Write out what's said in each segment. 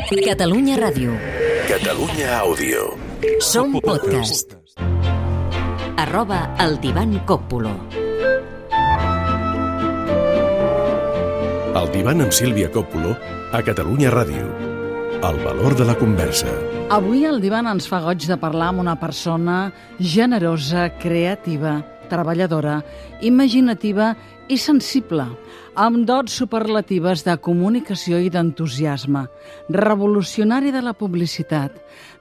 Catalunya Ràdio. Catalunya Àudio. Som podcast. @el Divan Còppulo. El Divan amb Sílvia Còppulo a Catalunya Ràdio. El valor de la conversa. Avui el Divan ens fa goig de parlar amb una persona generosa, creativa, treballadora, imaginativa i sensible, amb dots superlatives de comunicació i d'entusiasme, revolucionari de la publicitat,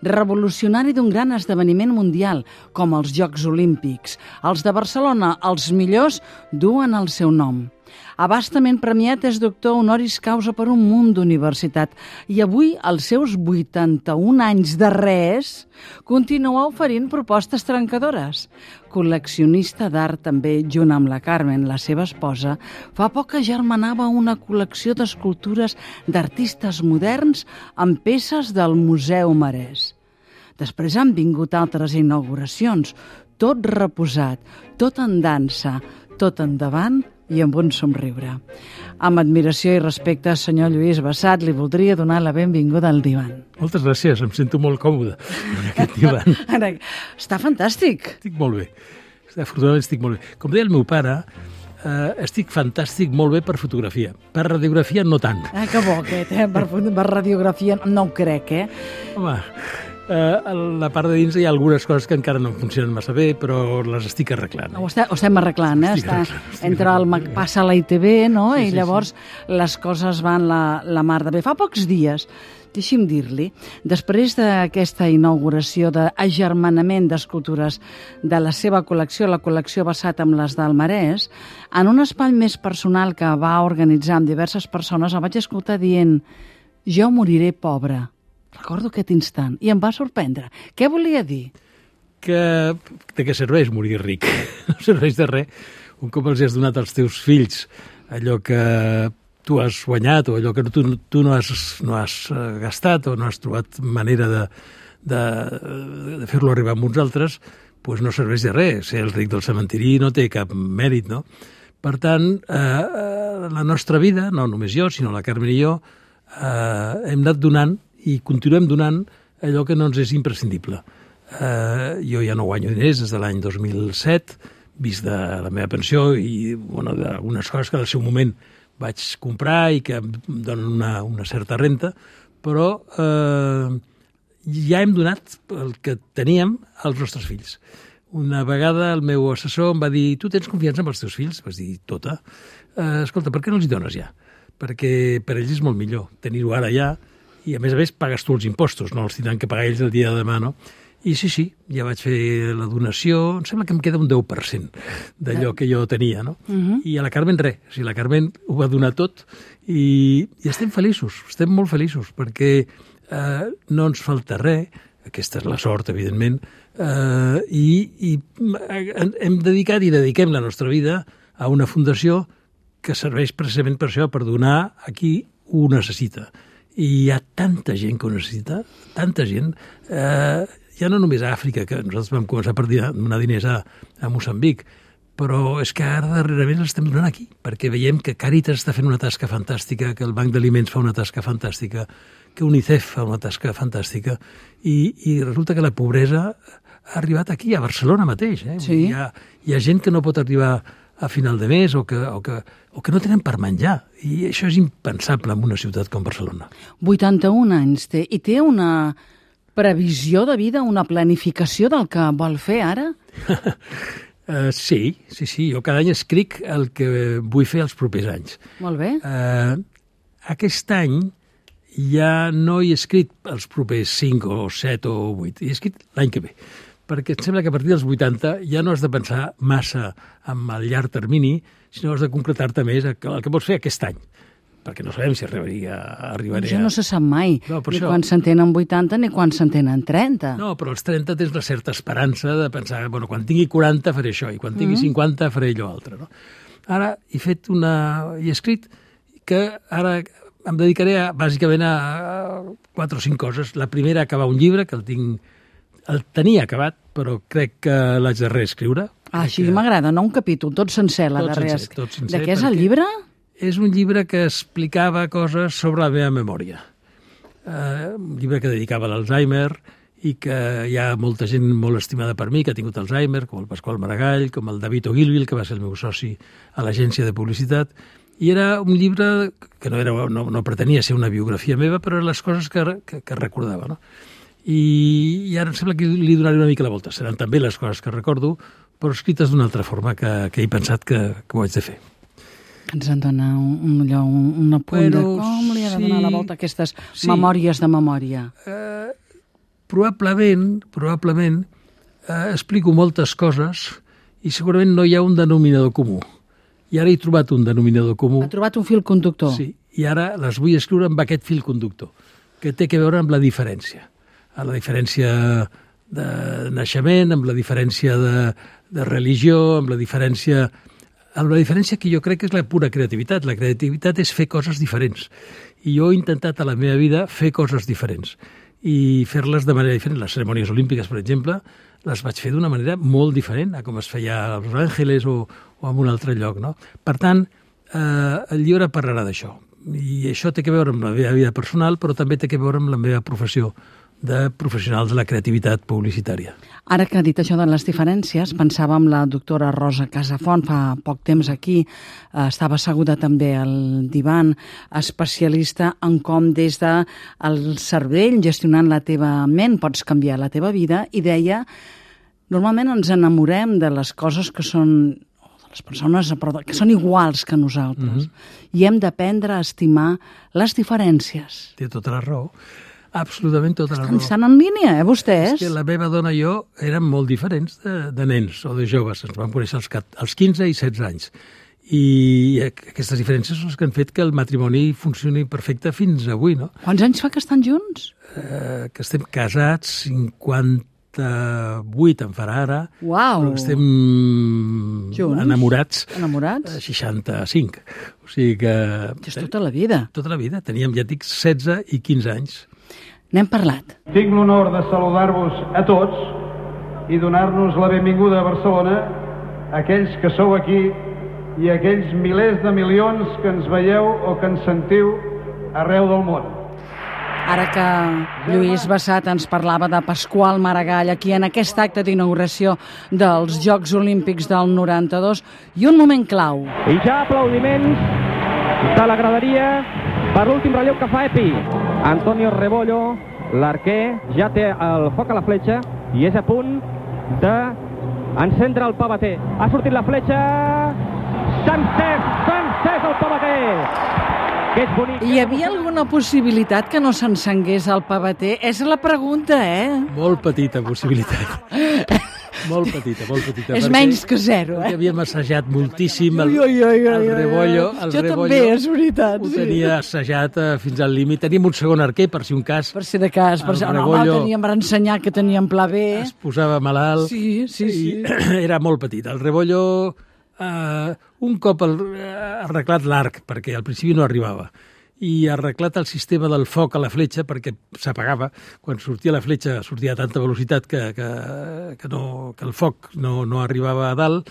revolucionari d'un gran esdeveniment mundial, com els Jocs Olímpics. Els de Barcelona, els millors, duen el seu nom. Abastament premiat, és doctor honoris causa per un munt d'universitat i avui, als seus 81 anys de res, continua oferint propostes trencadores. Col·leccionista d'art també, junt amb la Carmen, la seva esposa, fa poc que germanava una col·lecció d'escultures d'artistes moderns amb peces del Museu Marès. Després han vingut altres inauguracions, tot reposat, tot en dansa, tot endavant i amb un somriure. Amb admiració i respecte, senyor Lluís Bassat, li voldria donar la benvinguda al Divan. Moltes gràcies, em sento molt còmode en aquest divan. Està fantàstic. Estic molt bé, afortunadament estic molt bé. Com deia el meu pare, estic fantàstic, molt bé per fotografia. Per radiografia no tant. Que bo aquest, per radiografia no ho crec, Home, a la part de dins hi ha algunes coses que encara no funcionen massa bé, però les estic arreglant. Ho estem arreglant, passa a la ITV, no? Sí, I llavors les coses van la mar de bé. Fa pocs dies, deixi'm dir-li, després d'aquesta inauguració d'agermanament d'escultures de la seva col·lecció, la col·lecció Bassat amb les del Marès, en un espai més personal que va organitzar amb diverses persones, el vaig escoltar dient: jo moriré pobre. Recordo aquest instant i em va sorprendre. Què volia dir? De què serveix morir ric? No serveix de res. Un cop els has donat als teus fills allò que tu has guanyat o allò que tu no has gastat o no has trobat manera de fer-lo arribar a uns altres, doncs no serveix de res. Ser el ric del cementiri no té cap mèrit, no? Per tant, la nostra vida, no només jo, sinó la Carmen i jo, hem anat donant i continuem donant allò que no ens és imprescindible. Jo ja no guanyo diners des de l'any 2007, vist de la meva pensió i d'algunes coses que al seu moment vaig comprar i que em donen una certa renta, però ja hem donat el que teníem als nostres fills. Una vegada el meu assessor em va dir: tu tens confiança en els teus fills? Vaig dir: tota. Escolta, per què no els hi dones ja? Perquè per ells és molt millor tenir-ho ara ja, i a més pagues tu els impostos, no els tindran que pagar ells el dia de demà, no? I sí, ja vaig fer la donació, em sembla que em queda un 10% d'allò que jo tenia, no? I a la Carmen res, o sigui, la Carmen ho va donar tot i estem feliços, estem molt feliços, perquè no ens falta res, aquesta és la sort, evidentment, i hem dedicat i dediquem la nostra vida a una fundació que serveix precisament per això, per donar a qui ho necessita. I hi ha tanta gent que ho necessita, tanta gent, ja no només a Àfrica, que nosaltres vam començar per donar diners a Moçambic, però és que ara darrerament l'estem donant aquí, perquè veiem que Càritas està fent una tasca fantàstica, que el Banc d'Aliments fa una tasca fantàstica, que UNICEF fa una tasca fantàstica, i resulta que la pobresa ha arribat aquí, a Barcelona mateix. Sí. Hi ha gent que no pot arribar a final de mes o que no tenen per menjar. I això és impensable en una ciutat com Barcelona. 81 anys té. I té una previsió de vida, una planificació del que vol fer ara? Sí. Jo cada any escric el que vull fer els propers anys. Molt bé. Aquest any ja no he escrit els propers 5 o 7 o 8. He escrit l'any que ve. Perquè em sembla que a partir dels 80 ja no has de pensar massa en el llarg termini, sinó has de concretar-te més el que vols fer aquest any. Perquè no sabem si arribaré Això no se sap mai, no, ni quan s'entenen 80 ni quan s'entenen 30. No, però als 30 tens una certa esperança de pensar, quan tingui 40 faré això, i quan tingui 50 faré allò altre. No? Ara he escrit que ara em dedicaré bàsicament a 4 o 5 coses. La primera, acabar un llibre, que el tenia acabat, però crec que l'haig de reescriure. Així m'agrada, no un capítol, tot sencer l'ha de reescriure. Tot sencer. De què és el llibre? És un llibre que explicava coses sobre la meva memòria. un llibre que dedicava a l'Alzheimer i que hi ha molta gent molt estimada per mi que ha tingut Alzheimer, com el Pasqual Maragall, com el David Ogilvy, que va ser el meu soci a l'agència de publicitat, i era un llibre que no pretenia ser una biografia meva, però eren les coses que recordava, no? I ara em sembla que li donaré una mica la volta. Seran també les coses que recordo, però escrites d'una altra forma que he pensat que ho haig de fer. Ens en dona un apunt de com li ha de donar la volta a aquestes memòries de memòria. Probablement explico moltes coses i segurament no hi ha un denominador comú. I ara he trobat un denominador comú. Ha trobat un fil conductor. Sí, i ara les vull escriure amb aquest fil conductor, que té a veure amb la diferència. La diferència de naixement, amb la diferència de religió, amb la diferència que jo crec que és la pura creativitat. La creativitat és fer coses diferents. I jo he intentat a la meva vida fer coses diferents i fer-les de manera diferent. Les cerimònies olímpiques, per exemple, les vaig fer d'una manera molt diferent a com es feia a Los Angeles o en un altre lloc, no? Per tant, el llibre parlarà d'això. I això té a veure amb la meva vida personal, però també té a veure amb la meva professió de professionals de la creativitat publicitària. Ara que ha dit això de les diferències, pensava en la doctora Rosa Casafont, fa poc temps aquí, estava asseguda també al divan, especialista en com des del cervell, gestionant la teva ment, pots canviar la teva vida, i deia, normalment ens enamorem de les coses que són les persones que són iguals que nosaltres, i hem d'aprendre a estimar les diferències. Té tota la raó. Absolutament tota la raó. Estan en línia, vostès? És que la meva dona i jo érem molt diferents de nens o de joves. Ens vam conèixer als 15 i 16 anys. I aquestes diferències són les que han fet que el matrimoni funcioni perfecte fins avui, no? Quants anys fa que estan junts? Que estem casats, 58 en farà ara. Uau! Però estem enamorats. Enamorats? 65. O sigui que... És tota la vida. Tota la vida. Teníem, ja et dic, 16 i 15 anys. N'hem parlat. Tinc l'honor de saludar-vos a tots i donar-nos la benvinguda a Barcelona, aquells que sou aquí i aquells milers de milions que ens veieu o que ens sentiu arreu del món. Ara que Lluís Bassat ens parlava de Pasqual Maragall aquí en aquest acte d'inauguració dels Jocs Olímpics del 92, i un moment clau. I ja aplaudiments de la graderia per l'últim relleu que fa Epi. Antonio Rebollo, l'arquer, ja té el foc a la fletxa i és a punt d'encendre el pavater. Ha sortit la fletxa, s'ha encès el pavater! Que és bonic. Hi havia alguna possibilitat que no s'encengués el pavater? És la pregunta, Molt petita possibilitat. Molt petita. És menys que zero, Perquè havíem assajat moltíssim el Rebollo. Jo també, és veritat. Ho tenia assajat fins al límit. Teníem un segon arquer, per si un cas. Per si de cas. Ho teníem per ensenyar que teníem pla B. Es posava malalt. Sí. Era molt petit. El Rebollo, un cop arreglat l'arc, perquè al principi no arribava, i arreglat el sistema del foc a la fletxa perquè s'apagava. Quan sortia la fletxa sortia a tanta velocitat que el foc no arribava a dalt.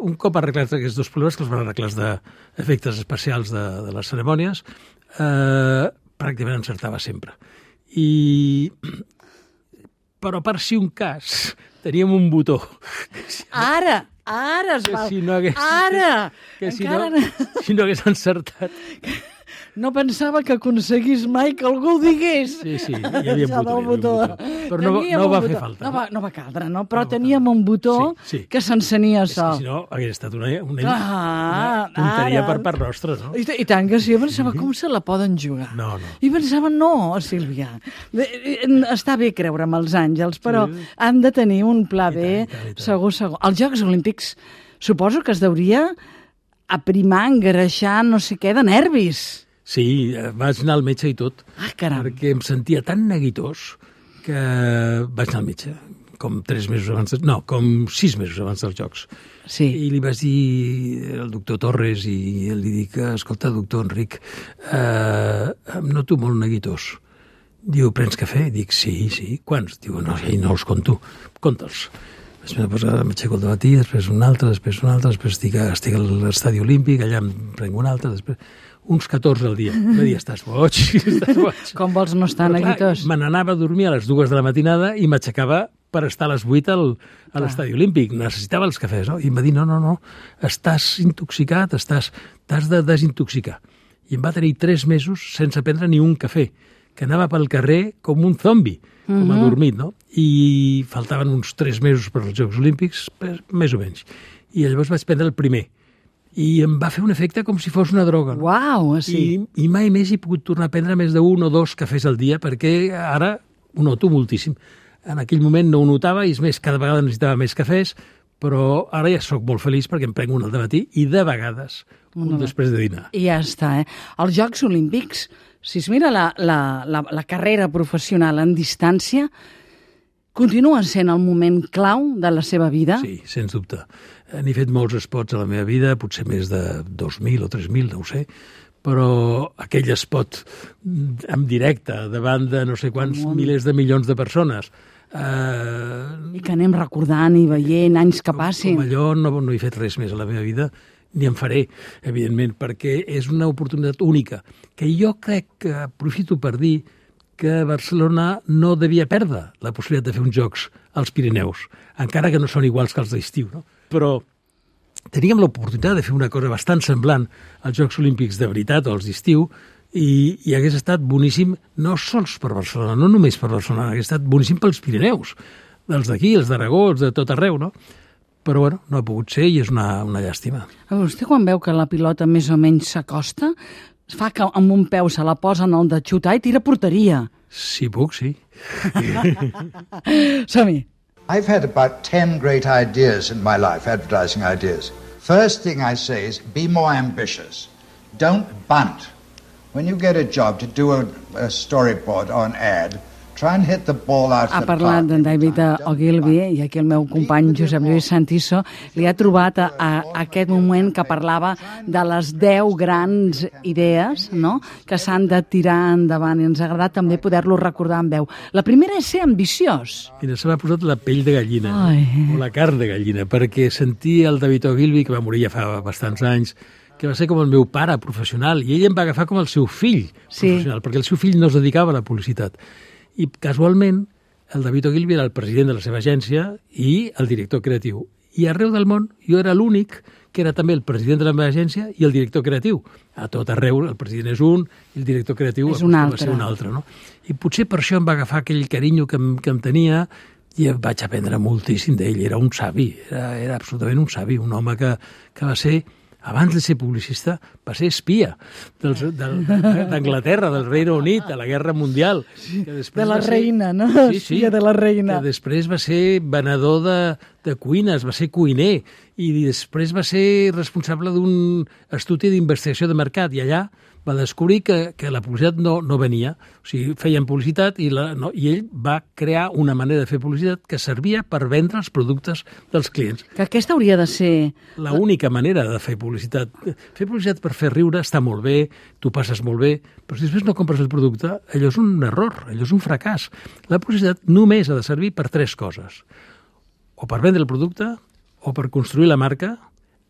Un cop arreglats aquests dos problemes, que els van arreglar d'efectes especials de les cerimònies, pràcticament encertava sempre. Però per si un cas teníem un botó. Ara es va... Si no hagués encertat... No pensava que aconseguís mai que algú ho digués. Sí, hi havia un botó. Però no va fer falta. No va caldre, no? Però teníem un botó que s'encenia sol. Si no, hauria estat una tonteria per part nostra, no? I tant que sí, jo pensava, com se la poden jugar? No. I pensava, no, Sílvia, està bé creure en els àngels, però han de tenir un pla B, segur. Els Jocs Olímpics suposo que es deuria aprimar, engreixar, no sé què, de nervis. Sí, vaig anar al metge i tot, perquè em sentia tan neguitós que vaig anar al metge, com 6 mesos abans dels Jocs. Sí. I li vaig dir al doctor Torres i li dic, escolta, doctor Enric, em noto molt neguitós. Diu, prens cafè? Dic, sí. Quants? Diu, no els conto. Conta'ls. M'aixeco al dematí, després un altre, després estic a l'estadi olímpic, allà em prenc un altre, després uns 14 al dia. Va dir, estàs boig, estàs boig. Com vols no estar neguitós? Me n'anava a dormir a les 2 de la matinada i m'aixecava per estar a les 8 a l'estadi olímpic. Necessitava els cafès, no? I em va dir, no, estàs intoxicat, t'has de desintoxicar. I em va tenir 3 mesos sense prendre ni un cafè, que anava pel carrer com un zombi, com adormit, no? I faltaven uns 3 mesos per als Jocs Olímpics, més o menys. I llavors vaig prendre el primer. I em va fer un efecte com si fos una droga. No? Uau, sí. I mai més he pogut tornar a prendre més d'1 o 2 cafès al dia, perquè ara ho noto moltíssim. En aquell moment no ho notava, i és més, cada vegada necessitava més cafès, però ara ja sóc molt feliç perquè em prenc un al dematí i de vegades un després de dinar. I ja està, Els Jocs Olímpics, si es mira la carrera professional en distància, continuen sent el moment clau de la seva vida? Sí, sens dubte. N'he fet molts spots a la meva vida, potser més de 2.000 o 3.000, no ho sé, però aquell spot en directe davant de no sé quants milers de milions de persones. I que anem recordant i veient anys que passin. Com allò no he fet res més a la meva vida, ni en faré, evidentment, perquè és una oportunitat única, que jo crec que aprofito per dir que Barcelona no devia perdre la possibilitat de fer uns jocs als Pirineus, encara que no són iguals que els d'estiu, no? Però teníem l'oportunitat de fer una cosa bastant semblant als Jocs Olímpics de veritat o als d'estiu, i hagués estat boníssim no sols per Barcelona, no només per Barcelona, hagués estat boníssim pels Pirineus, dels d'aquí, els d'Aragó, els de tot arreu, no? Però, bueno, no ha pogut ser i és una llàstima. Vostè, quan veu que la pilota més o menys s'acosta, fa que amb un peu se la posa en el de xutar i tira porteria. Si puc, sí. Som-hi. I've had about 10 great ideas in my life, advertising ideas. First thing I say is be more ambitious. Don't bunt. When you get a job to do a storyboard or an ad, try and hit the ball out of the park. Ha parlat d'en David Ogilvy, i aquí el meu company Josep Lluís Santiso li ha trobat a aquest moment que parlava de les 10 grans idees, no?, que s'han de tirar endavant, i ens ha agradat també poder-lo recordar en veu. La primera és ser ambiciós. Mira, se m'ha posat la pell de gallina, o la carn de gallina, perquè sentir el David Ogilvy, que va morir ja fa bastants anys, que va ser com el meu pare professional, i ell em va agafar com el seu fill professional, perquè el seu fill no es dedicava a la publicitat. I casualment el David Ogilvy era el president de la seva agència i el director creatiu. I arreu del món jo era l'únic que era també el president de la meva agència i el director creatiu. A tot arreu el president és un i el director creatiu és un altre. Va ser un altre. No? I potser per això em va agafar aquell carinyo que em tenia i vaig aprendre moltíssim d'ell. Era un savi, era absolutament un savi, un home que va ser, abans de ser publicista, va ser espia d'Anglaterra, del Regne Unit, a la Guerra Mundial. Que de la reina, no? Espia de la reina. Que després va ser venedor de cuines, va ser cuiner, i després va ser responsable d'un estudi d'investigació de mercat, i allà va descobrir que la publicitat no venia. O sigui, feien publicitat i ell va crear una manera de fer publicitat que servia per vendre els productes dels clients. Que aquesta hauria de ser... L'única manera de fer publicitat. Fer publicitat per fer riure està molt bé, tu passes molt bé, però si després no compres el producte, allò és un error, allò és un fracàs. La publicitat només ha de servir per 3 coses. O per vendre el producte, o per construir la marca,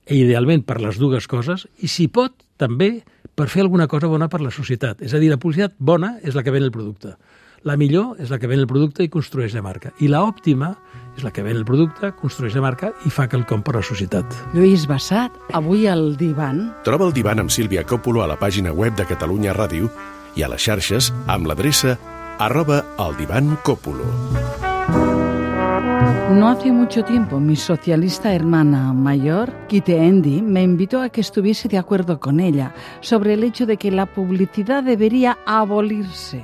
i idealment per les 2 coses, i si pot, també per fer alguna cosa bona per la societat. És a dir, la publicitat bona és la que ven el producte. La millor és la que ven el producte i construeix la marca. I l'òptima és la que ven el producte, construeix la marca i fa quelcom per la societat. Lluís Bassat, avui al Divan. Troba el Divan amb Sílvia Coppola a la pàgina web de Catalunya Ràdio i a les xarxes amb l'adreça @eldivancoppulo. No hace mucho tiempo, mi socialista hermana mayor, Kite Endi, me invitó a que estuviese de acuerdo con ella sobre el hecho de que la publicidad debería abolirse.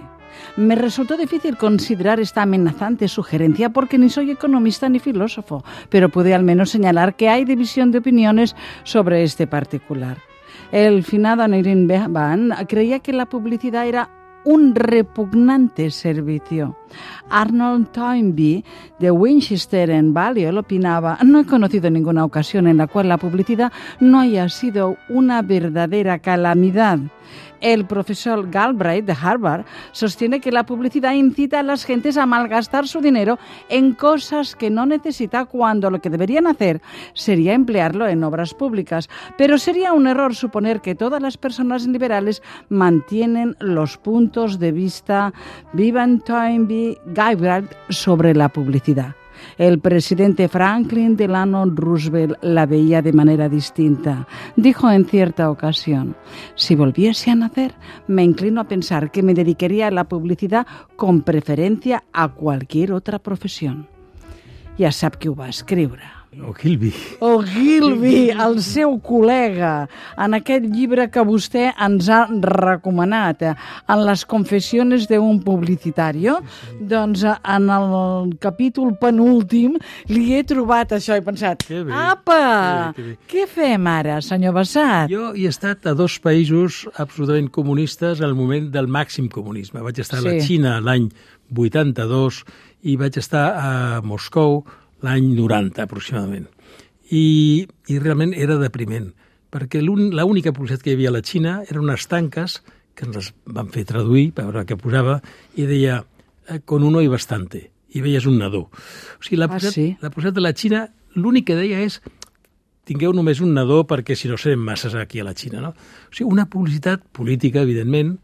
Me resultó difícil considerar esta amenazante sugerencia porque ni soy economista ni filósofo, pero pude al menos señalar que hay división de opiniones sobre este particular. El finado Anirin Behan creía que la publicidad era un repugnante servicio. Arnold Toynbee, de Winchester en Balliol, opinaba: no he conocido ninguna ocasión en la cual la publicidad no haya sido una verdadera calamidad. El profesor Galbraith de Harvard sostiene que la publicidad incita a las gentes a malgastar su dinero en cosas que no necesita, cuando lo que deberían hacer sería emplearlo en obras públicas. Pero sería un error suponer que todas las personas liberales mantienen los puntos de vista Vivan Toynbee Galbraith sobre la publicidad. El presidente Franklin Delano Roosevelt la veía de manera distinta. Dijo en cierta ocasión: si volviese a nacer, me inclino a pensar que me dedicaría a la publicidad con preferència a qualsevol otra professió. Ja sap qui ho va escriure. Ogilvy. Ogilvy, el seu col·lega, en aquest llibre que vostè ens ha recomanat, en les confessiones d'un publicitario. Doncs en el capítol penúltim li he trobat això i he pensat: apa, què fem ara, senyor Bassat? Jo he estat a 2 països absolutament comunistes al moment del màxim comunisme. Vaig estar a la Xina l'any 82 i vaig estar a Moscou l'any 90, aproximadament. I realment era depriment, perquè l'única publicitat que hi havia a la Xina eren unes tanques que ens les van fer traduir, per veure què posava, i deia: con uno y bastante. I veies un nadó. O sigui, la publicitat de la Xina, l'únic que deia és: tingueu només un nadó perquè si no serem masses aquí a la Xina. No? O sigui, una publicitat política, evidentment,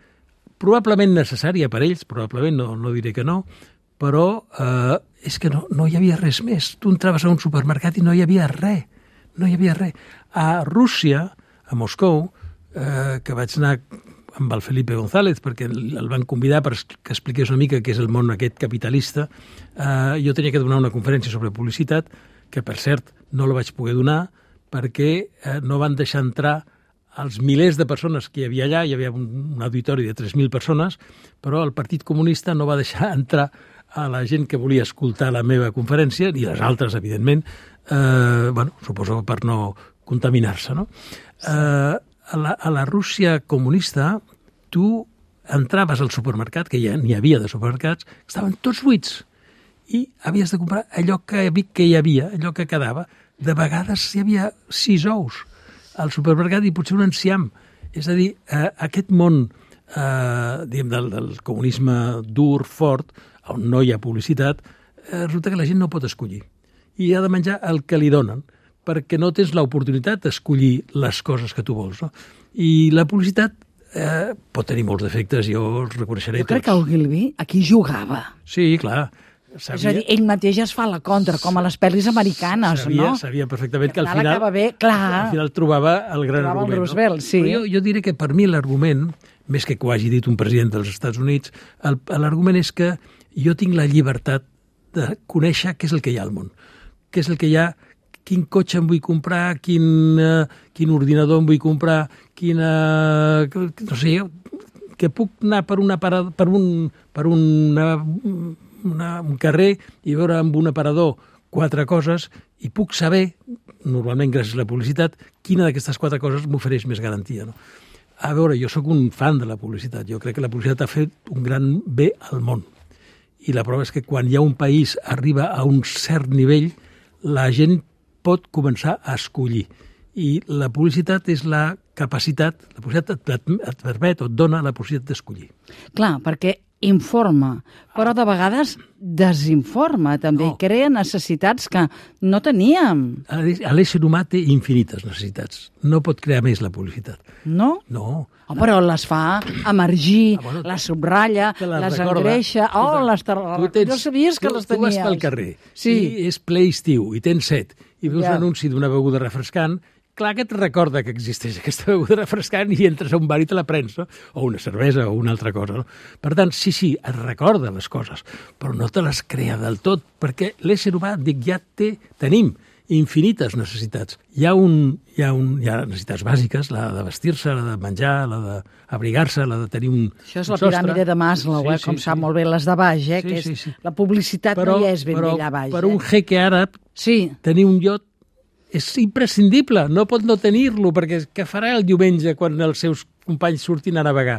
probablement necessària per ells, probablement, no diré que no, però és que no hi havia res més. Tu entraves a un supermercat i no hi havia res. No hi havia res. A Rússia, a Moscou, que vaig anar amb el Felipe González, perquè el van convidar per que expliqués una mica què és el món aquest capitalista, jo tenia que donar una conferència sobre publicitat, que per cert no la vaig poder donar perquè no van deixar entrar els milers de persones que hi havia allà. Hi havia un auditori de 3.000 persones, però el Partit Comunista no va deixar entrar a la gent que volia escoltar la meva conferència, i les altres, evidentment, suposo per no contaminar-se, no? A la Rússia comunista, tu entraves al supermercat, que ja n'hi havia de supermercats, estaven tots buits, i havies de comprar allò que hi havia, allò que quedava. De vegades hi havia 6 ous al supermercat i potser un enciam. És a dir, aquest món del comunisme dur, fort, on no hi ha publicitat, resulta que la gent no pot escollir. I ha de menjar el que li donen, perquè no tens l'oportunitat d'escollir les coses que tu vols. No? I la publicitat pot tenir molts defectes, jo els reconeixeré tots. Jo crec que Ogilvy aquí jugava. Sí, clar. És a dir, ell mateix es fa la contra, com a les pel·lis americanes, no? Sabia perfectament que al final, al final trobava el gran argument. El Roosevelt, sí. Però jo diré que per mi l'argument, més que ho hagi dit un president dels Estats Units, l'argument és que jo tinc la llibertat de conèixer què és el que hi ha al món, què és el que hi ha, quin cotxe em vull comprar, quin ordinador em vull comprar, no sé, que puc anar per un carrer i veure amb un aparador 4 coses i puc saber, normalment gràcies a la publicitat, quina d'aquestes 4 coses m'ofereix més garantia. No? A veure, jo sóc un fan de la publicitat. Jo crec que la publicitat ha fet un gran bé al món. I la prova és que quan hi ha un país arriba a un cert nivell, la gent pot començar a escollir. I la publicitat és la capacitat, la publicitat et permet o et dona la possibilitat d'escollir. Clar, perquè informa, però de vegades desinforma també, crea necessitats que no teníem. L'ésser humà té infinites necessitats. No pot crear més la publicitat. No? No. Però les fa emergir, les subratlla, les engreixa. No sabies que les tenies. Tu vas pel carrer i és ple estiu i tens set i veus l'anunci d'una beguda refrescant, clar que et recorda que existeix aquesta beguda refrescant i entres a un bar i te la prens, no? O una cervesa o una altra cosa. No? Per tant, sí, et recorda les coses, però no te les crea del tot, perquè l'ésser humà, tenim infinites necessitats. Hi ha necessitats bàsiques, la de vestir-se, la de menjar, la d'abrigar-se, la de tenir un sostre. Això és la piràmide de Maslow, com sap molt bé les de baix, que és la publicitat no hi és ben bé allà baix. Per un jeque àrab, tenir un iot és imprescindible, no pot no tenir-lo, perquè què farà el diumenge quan els seus companys surtin a navegar?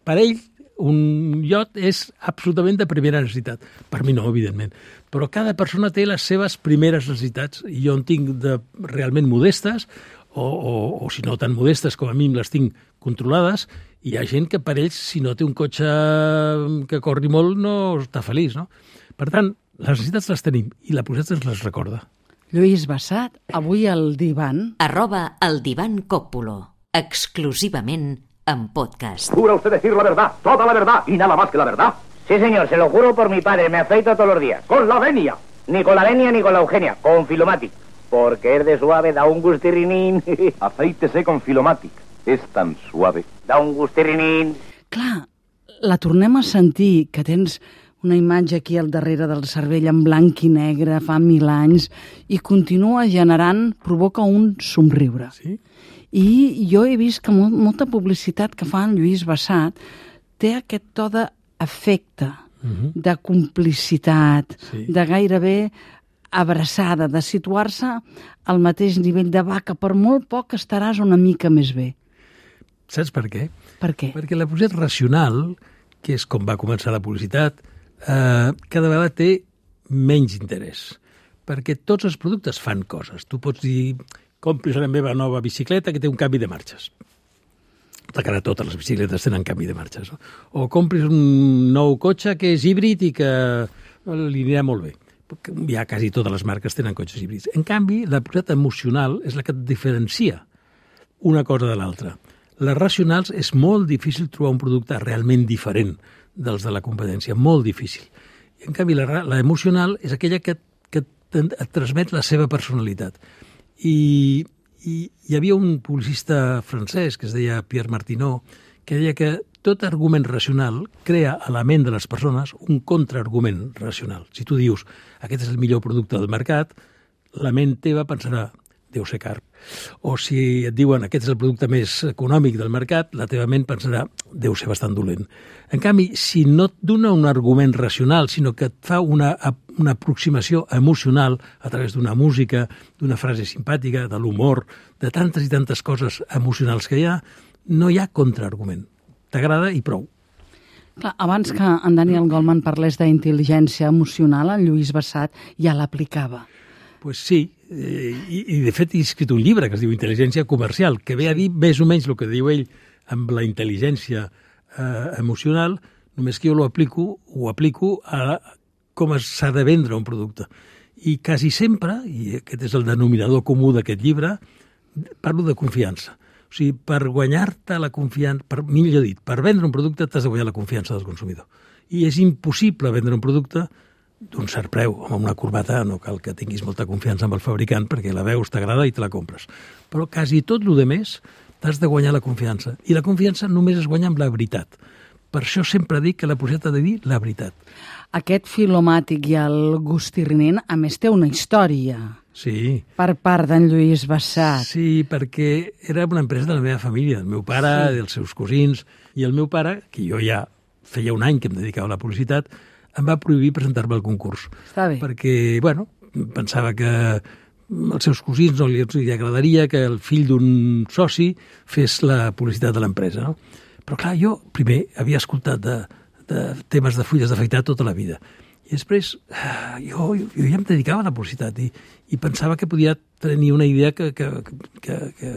Per ell, un iot és absolutament de primera necessitat. Per mi no, evidentment. Però cada persona té les seves primeres necessitats i jo en tinc de realment modestes o si no tan modestes com a mi les tinc controlades, i hi ha gent que per ells, si no té un cotxe que corri molt, no està feliç, no? Per tant, les necessitats les tenim i la publicitat ens les recorda. Lluís Bassat, avui al divan. @el divan Còppulo, exclusivament en podcast. ¿Jura usted decir la verdad, toda la verdad y nada más que la verdad? Sí, señor, se lo juro por mi padre, me afeito todos los días. ¡Con la venia! Ni con la venia ni con la Eugenia, con Filomatic. Porque es de suave, da un gustirrinín. Afeítese con Filomatic. Es tan suave. Da un gustirrinín. Clar, la tornem a sentir, que tens una imatge aquí al darrere del cervell en blanc i negre fa 1000 anys i continua generant, provoca un somriure. Sí? I jo he vist que molta publicitat que fa en Lluís Bassat té aquest to d'afecte, de complicitat, de gairebé abraçada, de situar-se al mateix nivell de vaca. Per molt poc estaràs una mica més bé. Saps per què? Per què? Perquè la publicitat racional, que és com va començar la publicitat, cada vegada té menys interès. Perquè tots els productes fan coses. Tu pots dir, compris la meva nova bicicleta que té un canvi de marxes. Que ara totes les bicicletes tenen canvi de marxes. No? O compris un nou cotxe que és híbrid i que li anirà molt bé. Ja quasi totes les marques tenen cotxes híbrids. En canvi, la publicitat emocional és la que et diferencia una cosa de l'altra. Les racionals és molt difícil trobar un producte realment diferent dels de la competència, molt difícil. En canvi, la emocional és aquella que et transmet la seva personalitat. I hi havia un publicista francès que es deia Pierre Martineau, que deia que tot argument racional crea a la ment de les persones un contraargument racional. Si tu dius, aquest és el millor producte del mercat, la ment teva pensarà, deu ser car. O si et diuen, aquest és el producte més econòmic del mercat, la teva ment pensarà, deu ser bastant dolent. En canvi, si no et dona un argument racional, sinó que et fa una aproximació emocional a través d'una música, d'una frase simpàtica, de l'humor, de tantes i tantes coses emocionals que hi ha, no hi ha contraargument. T'agrada i prou. Clar, abans que en Daniel Goleman parlés d'intel·ligència emocional, en Lluís Bassat ja l'aplicava. Pues sí, i de fet he escrit un llibre que es diu Intel·ligència comercial, que ve a dir més o menys el que diu ell amb la intel·ligència emocional, només que jo ho aplico a com s'ha de vendre un producte. I quasi sempre, i aquest és el denominador comú d'aquest llibre, parlo de confiança. O sigui, per guanyar-te la confiança, millor dit, per vendre un producte t'has de guanyar la confiança del consumidor. I és impossible vendre un producte d'un cert preu, amb una corbata no cal que tinguis molta confiança amb el fabricant perquè la veus, t'agrada i te la compres. Però quasi tot el més t'has de guanyar la confiança. I la confiança només es guanya amb la veritat. Per això sempre dic que la publicitat ha de dir la veritat. Aquest Filomàtic i el Gustirrinin, a més, té una història. Sí. Per part d'en Lluís Bassat. Sí, perquè era una empresa de la meva família, del meu pare, dels seus cosins, i el meu pare, que jo ja feia un any que em dedicava a la publicitat, em va prohibir presentar-me al concurs. Està bé. Perquè, pensava que als seus cosins no li agradaria que el fill d'un soci fes la publicitat de l'empresa, no? Però, clar, jo primer havia escoltat de temes de fulles d'afaitar tota la vida. I després jo ja em dedicava a la publicitat i pensava que podia tenir una idea que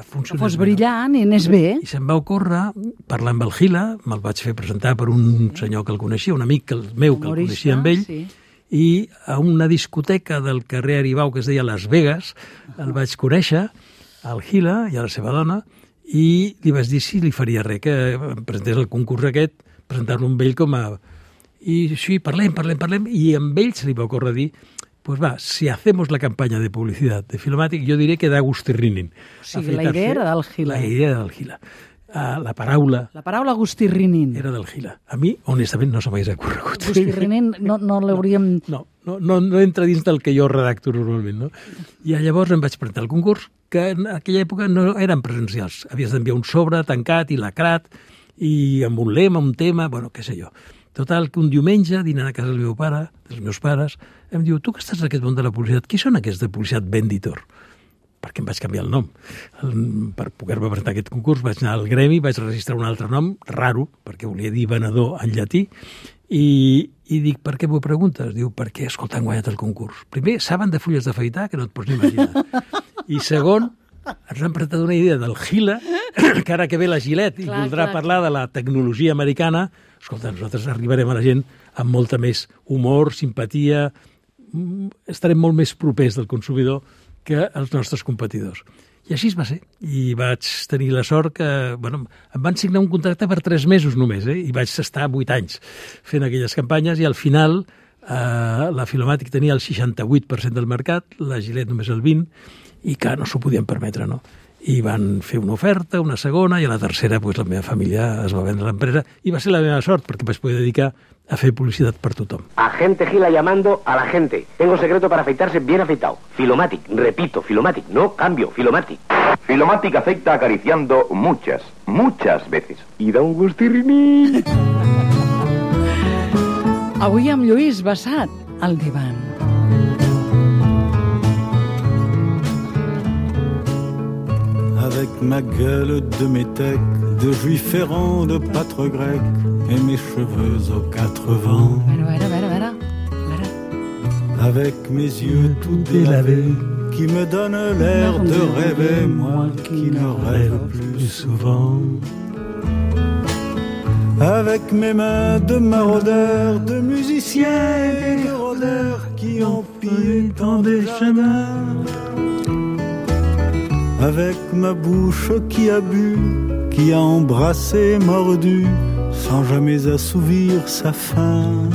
funcionés. Que fos brillant i anés bé. I se'm va ocórrer, parlar amb el Gila, me'l vaig fer presentar per un senyor que el coneixia, un amic meu que el coneixia amb ell, i a una discoteca del carrer Aribau que es deia Las Vegas, el vaig conèixer, al Gila i a la seva dona, i li vaig dir si li faria res, que em presentés el concurs aquest, presentar-lo amb ell com a... I sí, parlem, i amb ell se li va ocórrer dir, pues va, si hacemos la campaña de publicidad de Filomàtic, jo diré que da Gustirrinin. O sigui, la idea era del Gila. La idea era del Gila. La paraula Gustirrinin. era del Gila. A mi, honestament, no se m'hagués ocorregut. Gustirrinin no l'hauríem... No entra dins del que jo redacto normalment, no? I llavors em vaig presentar al concurs, que en aquella època no eren presencials. Havies d'enviar un sobre tancat i lacrat, i amb un lema, un tema, què sé jo. Total, que un diumenge, dinant a casa del meu pare, dels meus pares, em diu, tu que estàs en aquest món de la publicitat, qui són aquests de publicitat Venditor? perquè em vaig canviar el nom. Per poder-me presentar aquest concurs vaig anar al gremi, vaig registrar un altre nom, raro, perquè volia dir venedor en llatí, i dic, per què m'ho preguntes? Diu, perquè, escolta, han guanyat el concurs. Primer, saben de fulles d'afaitar, que no et pots ni imaginar. I segon, ens han presentat una idea del Gila, que ara que ve la Gillette i voldrà parlar de la tecnologia americana. Escolta, nosaltres arribarem a la gent amb molta més humor, simpatia, estarem molt més propers del consumidor que els nostres competidors. I així va ser. I vaig tenir la sort que... Bueno, em van signar un contracte per 3 mesos només, i vaig estar 8 anys fent aquelles campanyes, i al final la Filomàtic tenia el 68% del mercat, la Gillette només el 20%, i que no s'ho podien permetre, no? I van fer una oferta, una segona, i a la tercera pues, la meva família es va vendre l'empresa, i va ser la meva sort, perquè vaig poder dedicar a fer publicitat per tothom. Agente Gila llamando a la gente. Tengo secreto para afeitarse bien afeitado. Filomatic, repito, Filomatic, no cambio, Filomatic. Filomatic afecta acariciando muchas veces. Y da un gustirriní. Avui amb Lluís Bassat, al divan. Avec ma gueule de métèque, de juif errant, de pâtre grec, et mes cheveux aux 4 vents. Avec mes yeux tout délavés, qui me donnent l'air de rêver, moi qui ne rêve plus souvent. Avec mes mains de maraudeurs, de musiciens et de rôdeurs, qui ont pillé tant des chemins. Avec ma bouche qui a bu, qui a embrassé, mordu, sans jamais assouvir sa faim.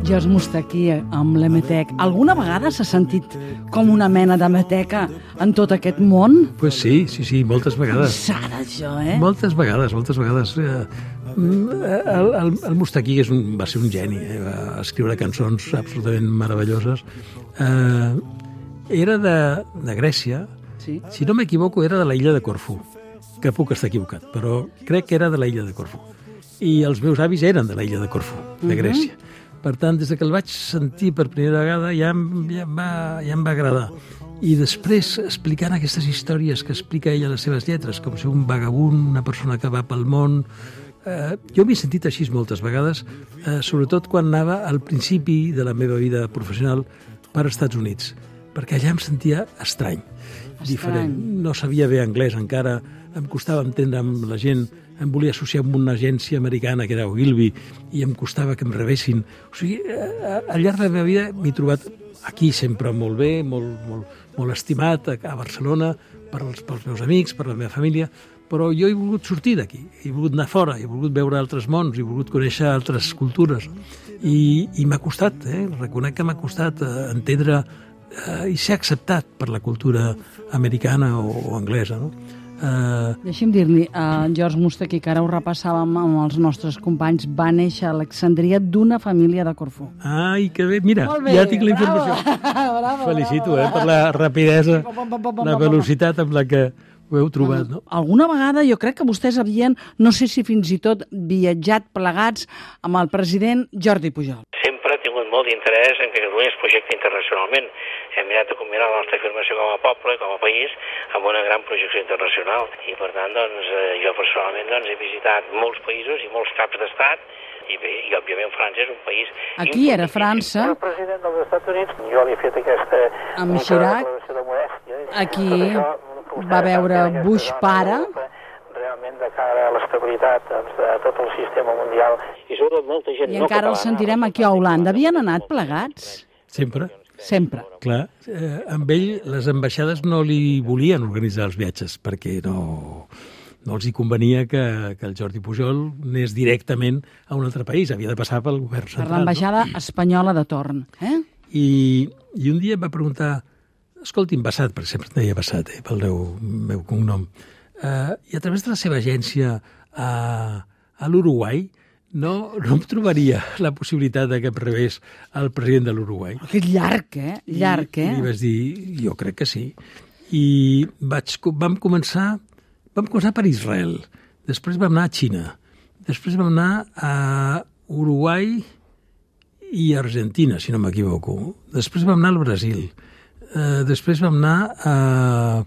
George Moustaki amb l'Emetec. Alguna vegada s'ha sentit com una mena de meteca en tot aquest món? Pues sí, moltes vegades. Sara, això, Moltes vegades. El Moustaki va ser un geni, va escriure cançons absolutament meravelloses. Era de Grècia. Sí. Si no m'equivoco, era de la illa de Corfú, que puc estar equivocat, però crec que era de la illa de Corfú. I els meus avis eren de la illa de Corfú, de Grècia. Per tant, des que el vaig sentir per primera vegada ja em va agradar. I després, explicant aquestes històries que explica ella a les seves lletres, com ser un vagabund, una persona que va pel món... Jo m'he sentit així moltes vegades, sobretot quan anava al principi de la meva vida professional per als Estats Units, perquè allà em sentia estrany. Diferent. No sabia bé anglès encara, em costava entendre amb la gent, em volia associar amb una agència americana que era Ogilvy i em costava que em rebessin. O sigui, al llarg de la meva vida m'he trobat aquí sempre molt bé, molt estimat, a Barcelona, pels meus amics, per la meva família, però jo he volgut sortir d'aquí, he volgut anar fora, he volgut veure altres mons, he volgut conèixer altres cultures. I m'ha costat, reconec que m'ha costat entendre i ser acceptat per la cultura americana o anglesa, no? Deixi'm dir-li, George Moustaki, que ara ho repassàvem amb els nostres companys, va néixer a Alexandria d'una família de Corfú. Ai, que bé, mira, ja tinc la informació. Bravo, felicito, per la rapidesa, la velocitat amb la que ho heu trobat, no? Alguna vegada jo crec que vostès havien, no sé si fins i tot viatjat plegats amb el president Jordi Pujol. Sempre he tingut molt d'interès en que Catalunya es projecti internacionalment. Hem mirat de combinar la nostra afirmació com a poble, com a país, amb una gran projecció internacional. I, per tant, jo personalment he visitat molts països i molts caps d'estat, i bé, i òbviament França és un país... Aquí era França. El president dels Estats Units, jo li he fet aquesta... Amb Chirac. Aquí va veure Bush pare. Realment de cara a l'estabilitat de tot el sistema mundial. I sobretot molta gent I encara el sentirem aquí a Holanda. Havien anat plegats? Sempre. Clar, amb ell les ambaixades no li volien organitzar els viatges perquè no els hi convenia que el Jordi Pujol anés directament a un altre país, havia de passar pel govern central. Per l'ambaixada espanyola de torn. I un dia em va preguntar, escolti'm, Bassat, perquè sempre et deia Bassat, pel meu cognom, i a través de la seva agència a l'Uruguai, no em trobaria la possibilitat que em rebés el president de l'Uruguai. Que llarg, Llarg, I li vaig dir, jo crec que sí. I vam començar per Israel, després vam anar a Xina, després vam anar a Uruguai i Argentina, si no m'equivoco. Després vam anar al Brasil. Després vam anar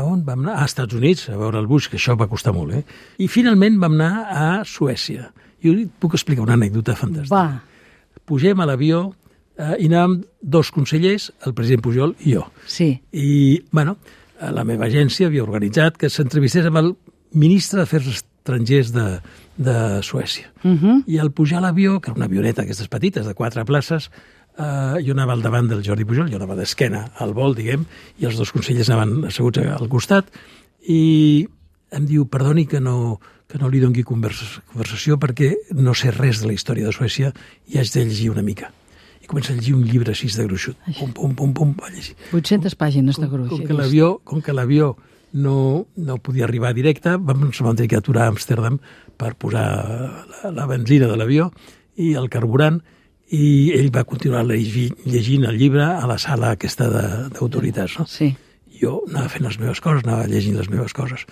on vam anar? A Estats Units, a veure el Bush, que això va costar molt, I finalment vam anar a Suècia. Jo et puc explicar una anècdota fantàstica. Va. Pugem a l'avió i anàvem 2 consellers, el president Pujol i jo. Sí. I, la meva agència havia organitzat que s'entrevistés amb el ministre d'Afers Estrangers de Suècia. I al pujar a l'avió, que era una avioneta d'aquestes petites, de 4 places, jo anava al davant del Jordi Pujol, jo anava d'esquena al vol, diguem, i els 2 consellers anaven asseguts al costat, i em diu, perdoni que no li doni conversació perquè no sé res de la història de Suècia i haig de llegir una mica. I comença a llegir un llibre així de gruixut. Pum, va llegir. 800 pàgines de gruix. Com que l'avió no podia arribar directe, vam tenir que aturar a Amsterdam per posar la benzina de l'avió i el carburant, i ell va continuar llegint el llibre a la sala aquesta d'autoritats. No? Sí. Jo anava fent les meves coses, anava llegint les meves coses.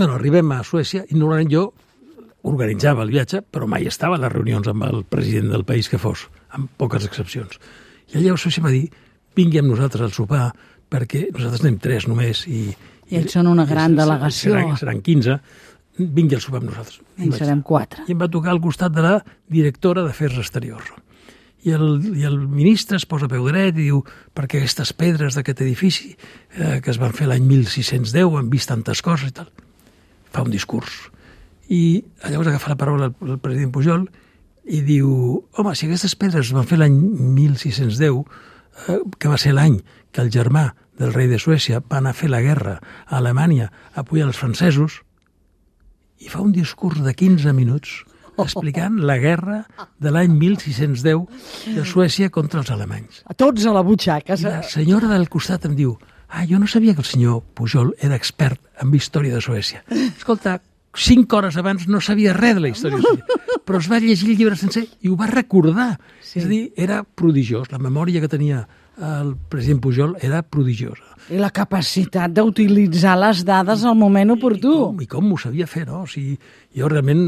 Arribem a Suècia i normalment jo organitzava el viatge, però mai estava a les reunions amb el president del país que fos, amb poques excepcions. I allà a Suècia va dir, vingui amb nosaltres al sopar, perquè nosaltres anem 3 només. I ells són una gran delegació. Seran 15. Vingui al sopar amb nosaltres. I serem 4. I em va tocar al costat de la directora d'Afers Exteriors. I el ministre es posa a peu dret i diu, perquè aquestes pedres d'aquest edifici que es van fer l'any 1610 han vist tantes coses i tal. Fa un discurs. I llavors agafa la paraula el president Pujol i diu, home, si aquestes pedres es van fer l'any 1610, que va ser l'any que el germà del rei de Suècia va anar a fer la guerra a Alemanya a apoyar els francesos, i fa un discurs de 15 minuts explicant la guerra de l'any 1610 de Suècia contra els alemanys. A tots a la butxaca. I la senyora del costat em diu, jo no sabia que el senyor Pujol era expert en història de Suècia. Escolta, 5 hores abans no sabia res de la història de Suècia, però es va llegir el llibre sencer i ho va recordar. Sí. És a dir, era prodigiós. La memòria que tenia el president Pujol era prodigiosa. I la capacitat d'utilitzar les dades al moment oportú. I com ho sabia fer, no? O sigui, jo realment,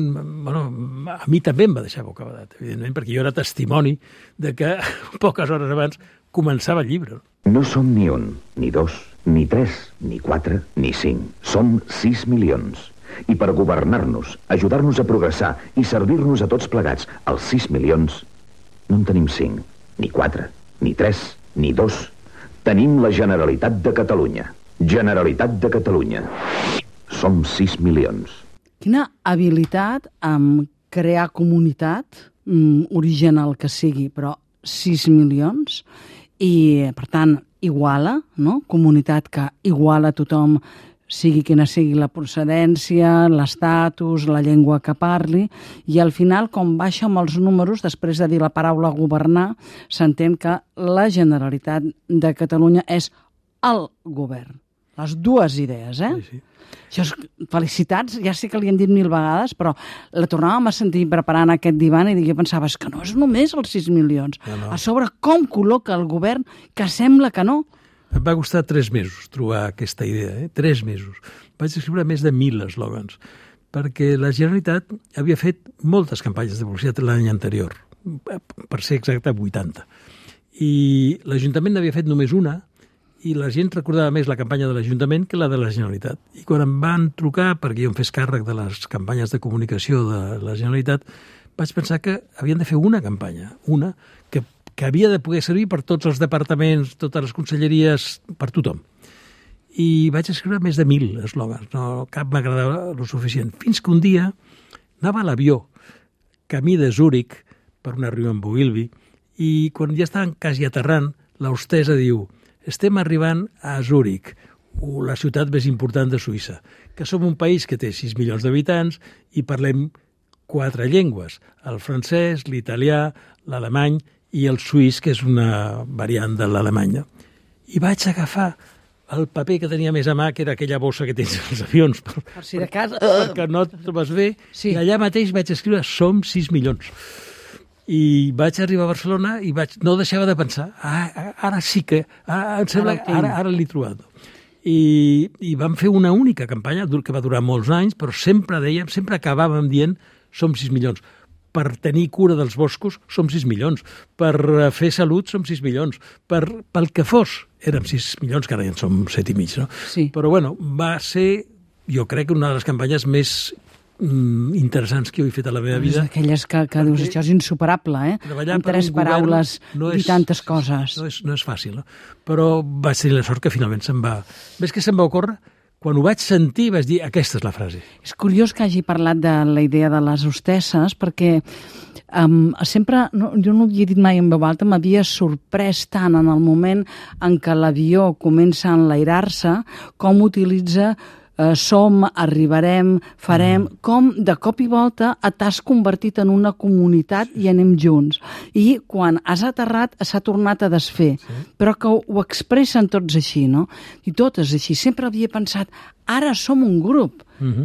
a mi també em va deixar bocabadat, evidentment, perquè jo era testimoni de que poques hores abans començava el llibre. No som ni 1, ni 2, ni 3, ni 4, ni 5. Som 6 milions. I per governar-nos, ajudar-nos a progressar i servir-nos a tots plegats, els 6 milions, no en tenim 5, ni 4, ni 3, ni 2. Tenim la Generalitat de Catalunya. Generalitat de Catalunya. Som 6 milions. Quina habilitat en crear comunitat, origen el que sigui, però 6 milions, i, per tant, iguala, no? Comunitat que iguala tothom, sigui quina sigui la procedència, l'estatus, la llengua que parli, i al final, com baixa amb els números, després de dir la paraula governar, s'entén que la Generalitat de Catalunya és el govern. Les dues idees, Sí. Això és, felicitats, ja sé que li hem dit 1000 vegades, però la tornàvem a sentir preparant aquest divan i jo pensava, és que no és només els 6 milions. No. A sobre, com col·loca el govern que sembla que no? Em va costar 3 mesos trobar aquesta idea, 3 mesos. Vaig escriure més de 1.000 eslògans, perquè la Generalitat havia fet moltes campanyes de publicitat l'any anterior, per ser exacte 80. I l'Ajuntament n'havia fet només una, i la gent recordava més la campanya de l'Ajuntament que la de la Generalitat. I quan em van trucar perquè jo em fes càrrec de les campanyes de comunicació de la Generalitat, vaig pensar que havien de fer una campanya, una que havia de poder servir per tots els departaments, totes les conselleries, per tothom. I vaig escriure més de 1.000 eslògans, no cap m'agradava el suficient. Fins que un dia anava a l'avió, camí de Zúrich, per una reunió amb Ogilvy, i quan ja estaven quasi aterrant, l'hostessa diu, estem arribant a Zúrich, la ciutat més important de Suïssa, que som un país que té 6 milions d'habitants i parlem 4 llengües, el francès, l'italià, l'alemany i el suís, que és una variant de l'alemanya. I vaig agafar el paper que tenia més a mà, que era aquella bossa que tens als avions, per si de cas, perquè no et trobes bé, i allà mateix vaig escriure som 6 milions. I vaig arribar a Barcelona i no deixava de pensar, ara sí que, em sembla que ara l'he trobat. I vam fer una única campanya que va durar molts anys, però sempre acabàvem dient som 6 milions. per tenir cura dels boscos som 6 milions, per fer salut som 6 milions, pel que fos érem 6 milions, que ara ja en som 7,5, no? Sí. Però bueno, va ser, jo crec, una de les campanyes més interessants que jo he fet a la meva vida. Aquelles que dius, això és insuperable, Treballar amb 3 paraules i tantes coses. No és fàcil, no? Però vaig tenir la sort que finalment se'm va... Ves que se'm va ocórrer? Quan ho vaig sentir vaig dir, aquesta és la frase. És curiós que hagi parlat de la idea de les hostesses, perquè sempre, jo no ho he dit mai en veu alta, m'havia sorprès tant en el moment en què l'avió comença a enlairar-se, com utilitza som, arribarem, farem, com de cop i volta t'has convertit en una comunitat i anem junts. I quan has aterrat s'ha tornat a desfer, però que ho expressen tots així, no? I totes així. Sempre havia pensat, ara som un grup.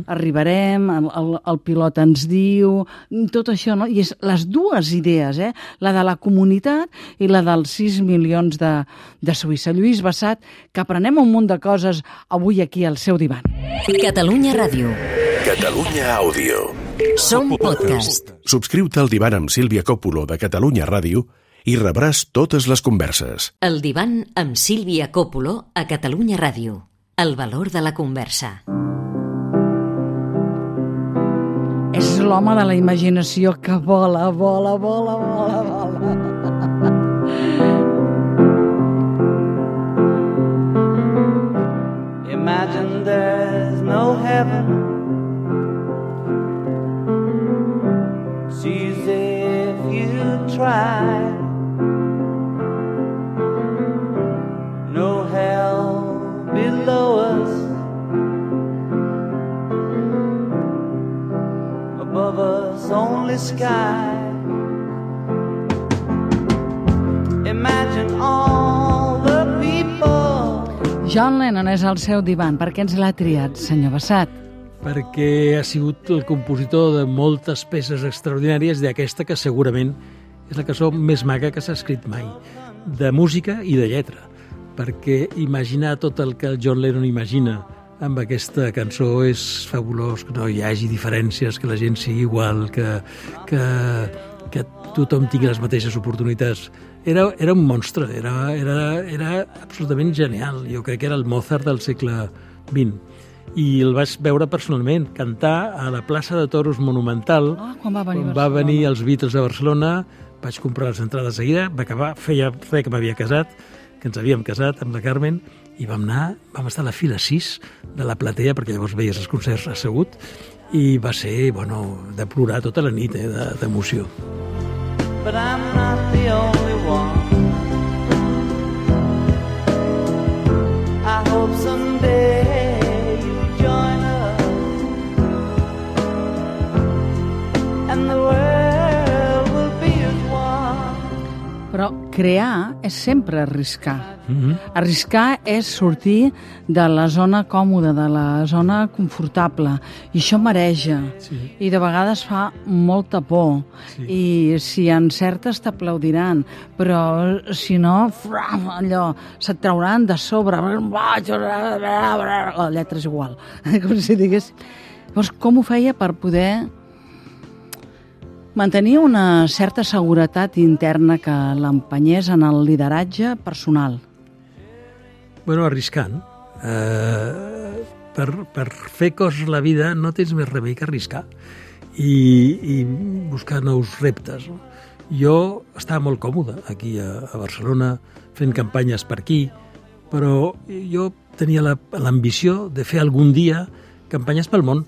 Arribarem, el pilot ens diu, tot això, no? I és les dues idees, la de la comunitat i la dels 6 milions de Suïssa. Lluís Bassat, que aprenem un munt de coses avui aquí al seu divan. Catalunya Ràdio. Catalunya Àudio. Som podcast. Subscriu-te al divan amb Sílvia Coppola de Catalunya Ràdio i rebràs totes les converses. El divan amb Sílvia Coppola a Catalunya Ràdio. El valor de la conversa. És l'home de la imaginació que vola, vola, vola, vola, vola. Imagine there's no heaven. It's easy if you try. No hell below us. Above us only sky. Imagine all the people. John Lennon és al seu divan. Per què ens l'ha triat, senyor Bassat? Perquè ha sigut el compositor de moltes peces extraordinàries, d'aquesta que segurament és la cançó més maca que s'ha escrit mai, de música i de lletra. Perquè imaginar tot el que el John Lennon imagina amb aquesta cançó és fabulós, que no hi hagi diferències, que la gent sigui igual, que tothom tingui les mateixes oportunitats. Era un monstre, era absolutament genial. Jo crec que era el Mozart del segle XX. I el vaig veure personalment, cantar a la plaça de Toros Monumental. Quan va venir els Beatles a Barcelona, vaig comprar les entrades de seguida, feia res que m'havia casat, que ens havíem casat amb la Carmen, i vam estar a la fila 6 de la platea, perquè llavors veies els concerts assegut, i va ser, de plorar tota la nit, d'emoció. But I'm not the only one. I hope someday you join us and the world will be as one. Però crear és sempre arriscar. Arriscar és sortir de la zona còmoda, de la zona confortable, i això mareja, i de vegades fa molta por, i si encertes t'aplaudiran, però si no, allò, se't trauran de sobre, la lletra és igual, com si digués. Llavors, com ho feia per poder mantenir una certa seguretat interna que l'empenyés en el lideratge personal? Arriscant. Per fer coses a la vida no tens més remei que arriscar i buscar nous reptes. No? Jo estava molt còmode aquí a Barcelona fent campanyes per aquí, però jo tenia l'ambició de fer algun dia campanyes pel món.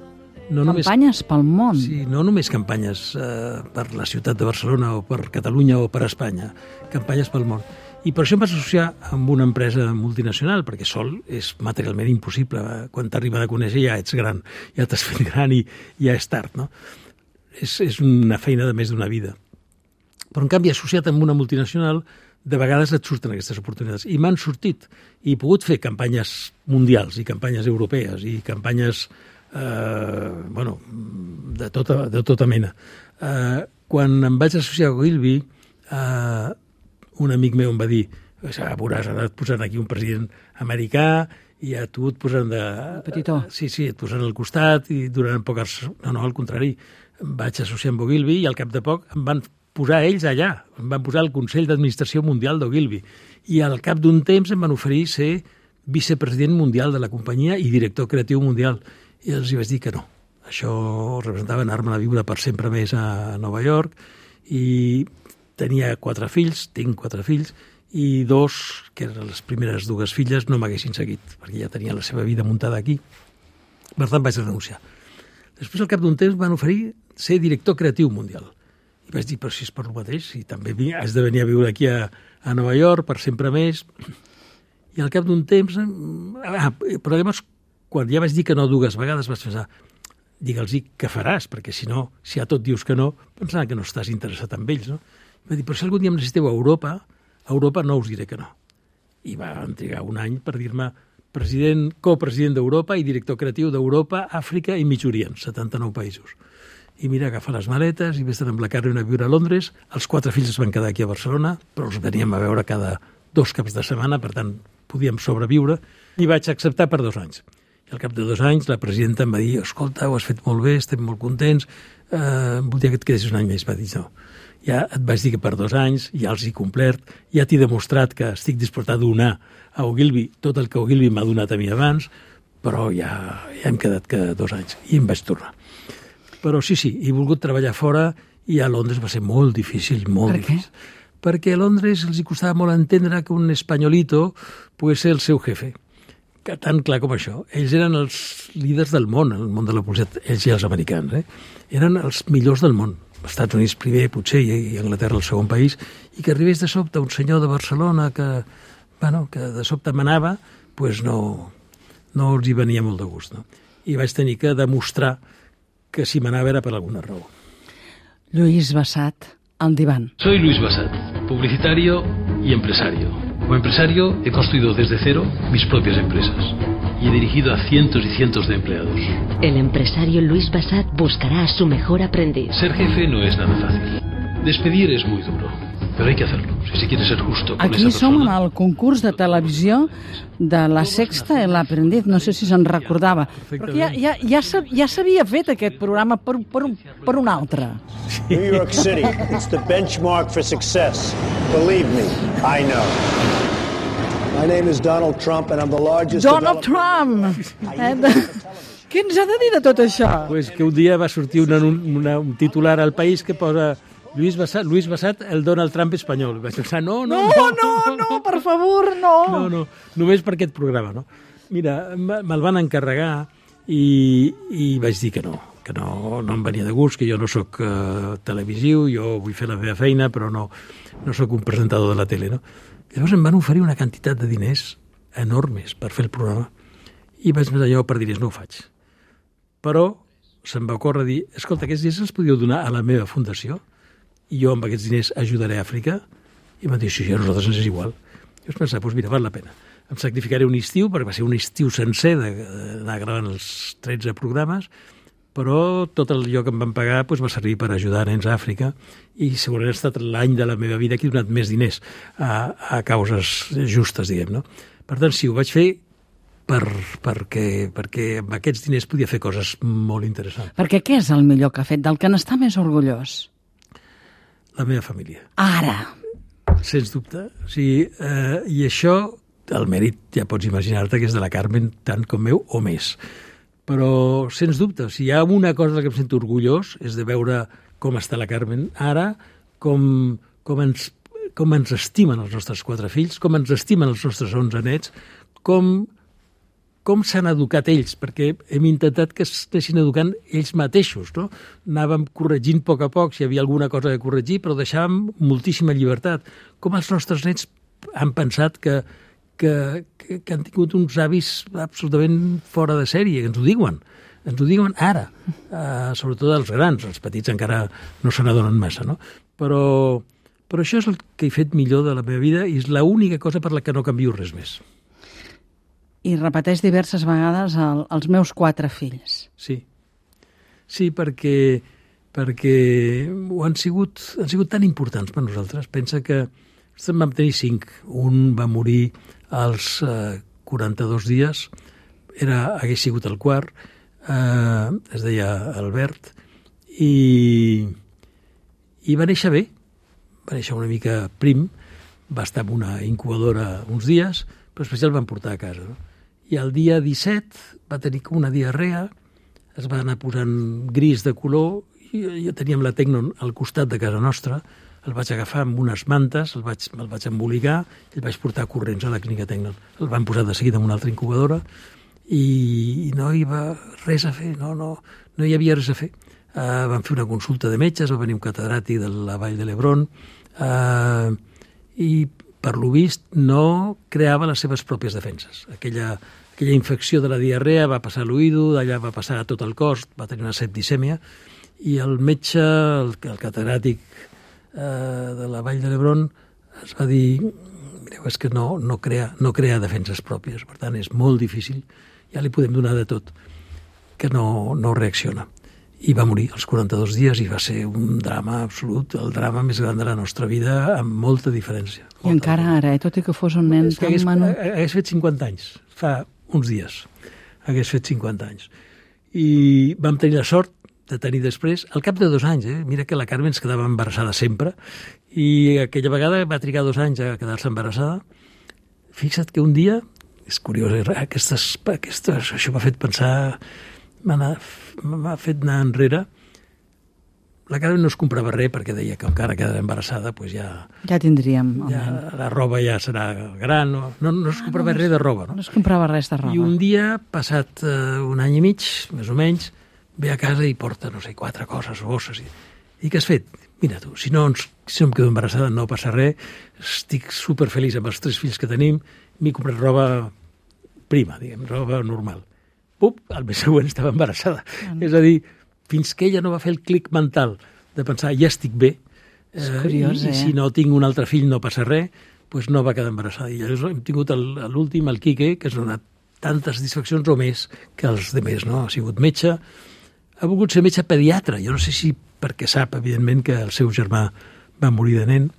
Campanyes pel món? Sí, no només campanyes per la ciutat de Barcelona o per Catalunya o per Espanya, campanyes pel món. I per això em vaig associar amb una empresa multinacional, perquè sol és materialment impossible. Quan t'arriba de conèixer ja ets gran, ja t'has fet gran i ja és tard, no? És una feina de més d'una vida. Però, en canvi, associat amb una multinacional, de vegades et surten aquestes oportunitats. I m'han sortit. I he pogut fer campanyes mundials i campanyes europees i campanyes de tota mena. Quan em vaig associar a Ogilvy, un amic meu em va dir, veuràs, ara et posaran aquí un president americà i a tu et posaran Petitó. Sí, et posaran al costat i duraran poques... No, al contrari, em vaig associar amb Ogilvy i al cap de poc em van posar ells allà, em van posar al Consell d'Administració Mundial d'Ogilvy i al cap d'un temps em van oferir ser vicepresident mundial de la companyia i director creatiu mundial. I els vaig dir que no. Això representava anar-me a viure per sempre més a Nova York i tenia 4 fills, tinc 4 fills, i 2, que eren les primeres 2 filles, no m'haguessin seguit, perquè ja tenien la seva vida muntada aquí. Per tant, vaig renunciar. Després, al cap d'un temps, van oferir ser director creatiu mundial. I vaig dir, però si és per el mateix, i també has de venir a viure aquí a Nova York per sempre més. I al cap d'un temps... però llavors, quan ja vaig dir que no 2 vegades, vaig pensar, digue'ls-hi què faràs, perquè si no, si a tot dius que no, pensaran que no estàs interessat en ells, no? I vaig dir, però si algun dia em necessiteu a Europa no us diré que no. I van trigar un any per dir-me copresident d'Europa i director creatiu d'Europa, Àfrica i Mig Orient, 79 països. I mira, agafar les maletes i vés amb la Carmen a viure a Londres. Els 4 fills es van quedar aquí a Barcelona, però els veníem a veure cada 2 caps de setmana, per tant, podíem sobreviure. I vaig acceptar per 2 anys. I al cap de 2 anys la presidenta em va dir, escolta, ho has fet molt bé, estem molt contents, voldria que et quedessis un any més. Va dir, no, ja et vaig dir que per 2 anys, ja els he complert, ja t'he demostrat que estic disposat a donar a Ogilvy tot el que Ogilvy m'ha donat a mi abans, però ja hem quedat que 2 anys. I em vaig tornar. Però sí, he volgut treballar fora i a Londres va ser molt difícil, molt difícil. Perquè a Londres els costava molt entendre que un espanyolito pogués ser el seu jefe. Que tan clar com això. Ells eren els líders del món, el món de la publicitat, ells i els americans. Eren els millors del món. Els Estats Units primer, potser, i Anglaterra el segon país, i que arribés de sobte un senyor de Barcelona que de sobte manava, doncs no els hi venia molt de gust. No? I vaig tenir que demostrar que si manava era per alguna raó. Lluís Bassat, al diván. Soy Luis Bassat, publicitario y empresario. Como empresario he construido desde cero mis propias empresas y he dirigido a cientos y cientos de empleados. El empresario Luis Bassat buscará a su mejor aprendiz. Ser jefe no es nada fácil. Despedir es muy duro, pero hay que hacerlo, si se quiere ser justo con Aquí esa persona. som en el concurs de televisió de La Sexta, El Aprendiz, no sé si se'n recordava, perquè ja s'havia fet aquest programa per un altre. New York City, it's the benchmark for success. Believe me, I know. My name is Donald Trump and I'm the largest... Donald Trump! Què ens ha de dir de tot això? Pues que un dia va sortir un titular al País que posa Luis Bassat, el Donald Trump espanyol. Vaig pensar, no, per favor, no. No, només per aquest programa, no? Mira, me'l van encarregar i vaig dir que no em venia de gust, que jo no sóc televisiu, jo vull fer la meva feina, però no sóc un presentador de la tele, no? Llavors em van oferir una quantitat de diners enormes per fer el programa i vaig pensar, jo per diners no ho faig. Però se'm va ocórrer dir, escolta, aquests diners els podíeu donar a la meva fundació i jo amb aquests diners ajudaré a Àfrica? I em van dir, sí, a nosaltres ens és igual. I vaig pensar, doncs mira, val la pena. Em sacrificaré un estiu, perquè va ser un estiu sencer d'anar gravant els 13 programes, però tot allò que em van pagar va servir per ajudar nens a Àfrica i segurament ha estat l'any de la meva vida que he donat més diners a causes justes, diguem, no? Per tant, sí, ho vaig fer perquè amb aquests diners podia fer coses molt interessants. Perquè què és el millor que ha fet, del que n'està més orgullós? La meva família. Ara! Sens dubte. O sigui, i això, el mèrit, ja pots imaginar-te que és de la Carmen tant com meu o més. Però, sens dubte, si hi ha una cosa de la que em sento orgullós és de veure com està la Carmen ara, com ens estimen els nostres 4 fills, com ens estimen els nostres 11 nets, com s'han educat ells, perquè hem intentat que s'anessin educant ells mateixos, no? Anàvem corregint a poc, si hi havia alguna cosa a corregir, però deixàvem moltíssima llibertat. Com els nostres nets han pensat que han tingut uns avis absolutament fora de sèrie, que ens ho diuen ara, sobretot els grans, els petits encara no se n'adonen massa, no? Però això és el que he fet millor de la meva vida i és l'única cosa per la que no canvio res més. I repeteix diverses vegades els meus 4 fills. Sí, perquè han sigut tan importants per nosaltres. Pensa que en vam tenir 5. Un va morir als 42 dies, hagués sigut el quart, es deia Albert, i va néixer bé, va néixer una mica prim, va estar en una incubadora uns dies, però després ja el van portar a casa. No? I el dia 17 va tenir com una diarrea, es va anar posant gris de color, i ja teníem la Tecnon al costat de casa nostra, el vaig agafar amb unes mantes, el vaig embolicar i el vaig portar corrents a la clínica Tecnon. El van posar de seguida en una altra incubadora i no hi va res a fer, no hi havia res a fer. Van fer una consulta de metges, va venir un catedràtic de la Vall de l'Hebron i, per lo vist, no creava les seves pròpies defenses. Aquella infecció de la diarrea va passar a l'oïdo, d'allà va passar a tot el cos, va tenir una septicèmia, i el metge, el catedràtic de la Vall de l'Hebron, es va dir, mireu, és que no crea defenses pròpies, per tant és molt difícil, ja li podem donar de tot, que no reacciona. I va morir als 42 dies i va ser un drama absolut, el drama més gran de la nostra vida, amb molta diferència. I encara ara, tot i que fos un nen tan menut... Hagués fet 50 anys, fa uns dies, hagués fet 50 anys. I vam tenir la sort de tenir després, al cap de 2 anys, mira que la Carme ens quedava embarassada sempre, i aquella vegada va trigar 2 anys a quedar-se embarassada. Fixa't que un dia, és curiós, això m'ha fet pensar, m'ha fet anar enrere. La Carme no es comprava res perquè deia que encara quedava embarassada, doncs ja tindríem. La roba ja serà gran, no es comprava res de roba. No es comprava res de roba. I un dia, passat un any i mig, més o menys, ve a casa i porta, no sé, 4 coses, bosses. I què has fet? Mira tu, si no em quedo embarassada no passa res, estic superfeliç amb els 3 fills que tenim, m'he comprat roba prima, diguem, roba normal. Pup, al mes següent estava embarassada. És a dir, fins que ella no va fer el clic mental de pensar, ja estic bé, és curiós, i si no tinc un altre fill no passa res, doncs no va quedar embarassada. I llavors hem tingut l'últim, el Quique, que ens ha donat tantes satisfaccions o més que els altres, no? Ha sigut metge, ha volgut ser metge pediatre. Jo no sé si perquè sap, evidentment, que el seu germà va morir de nen.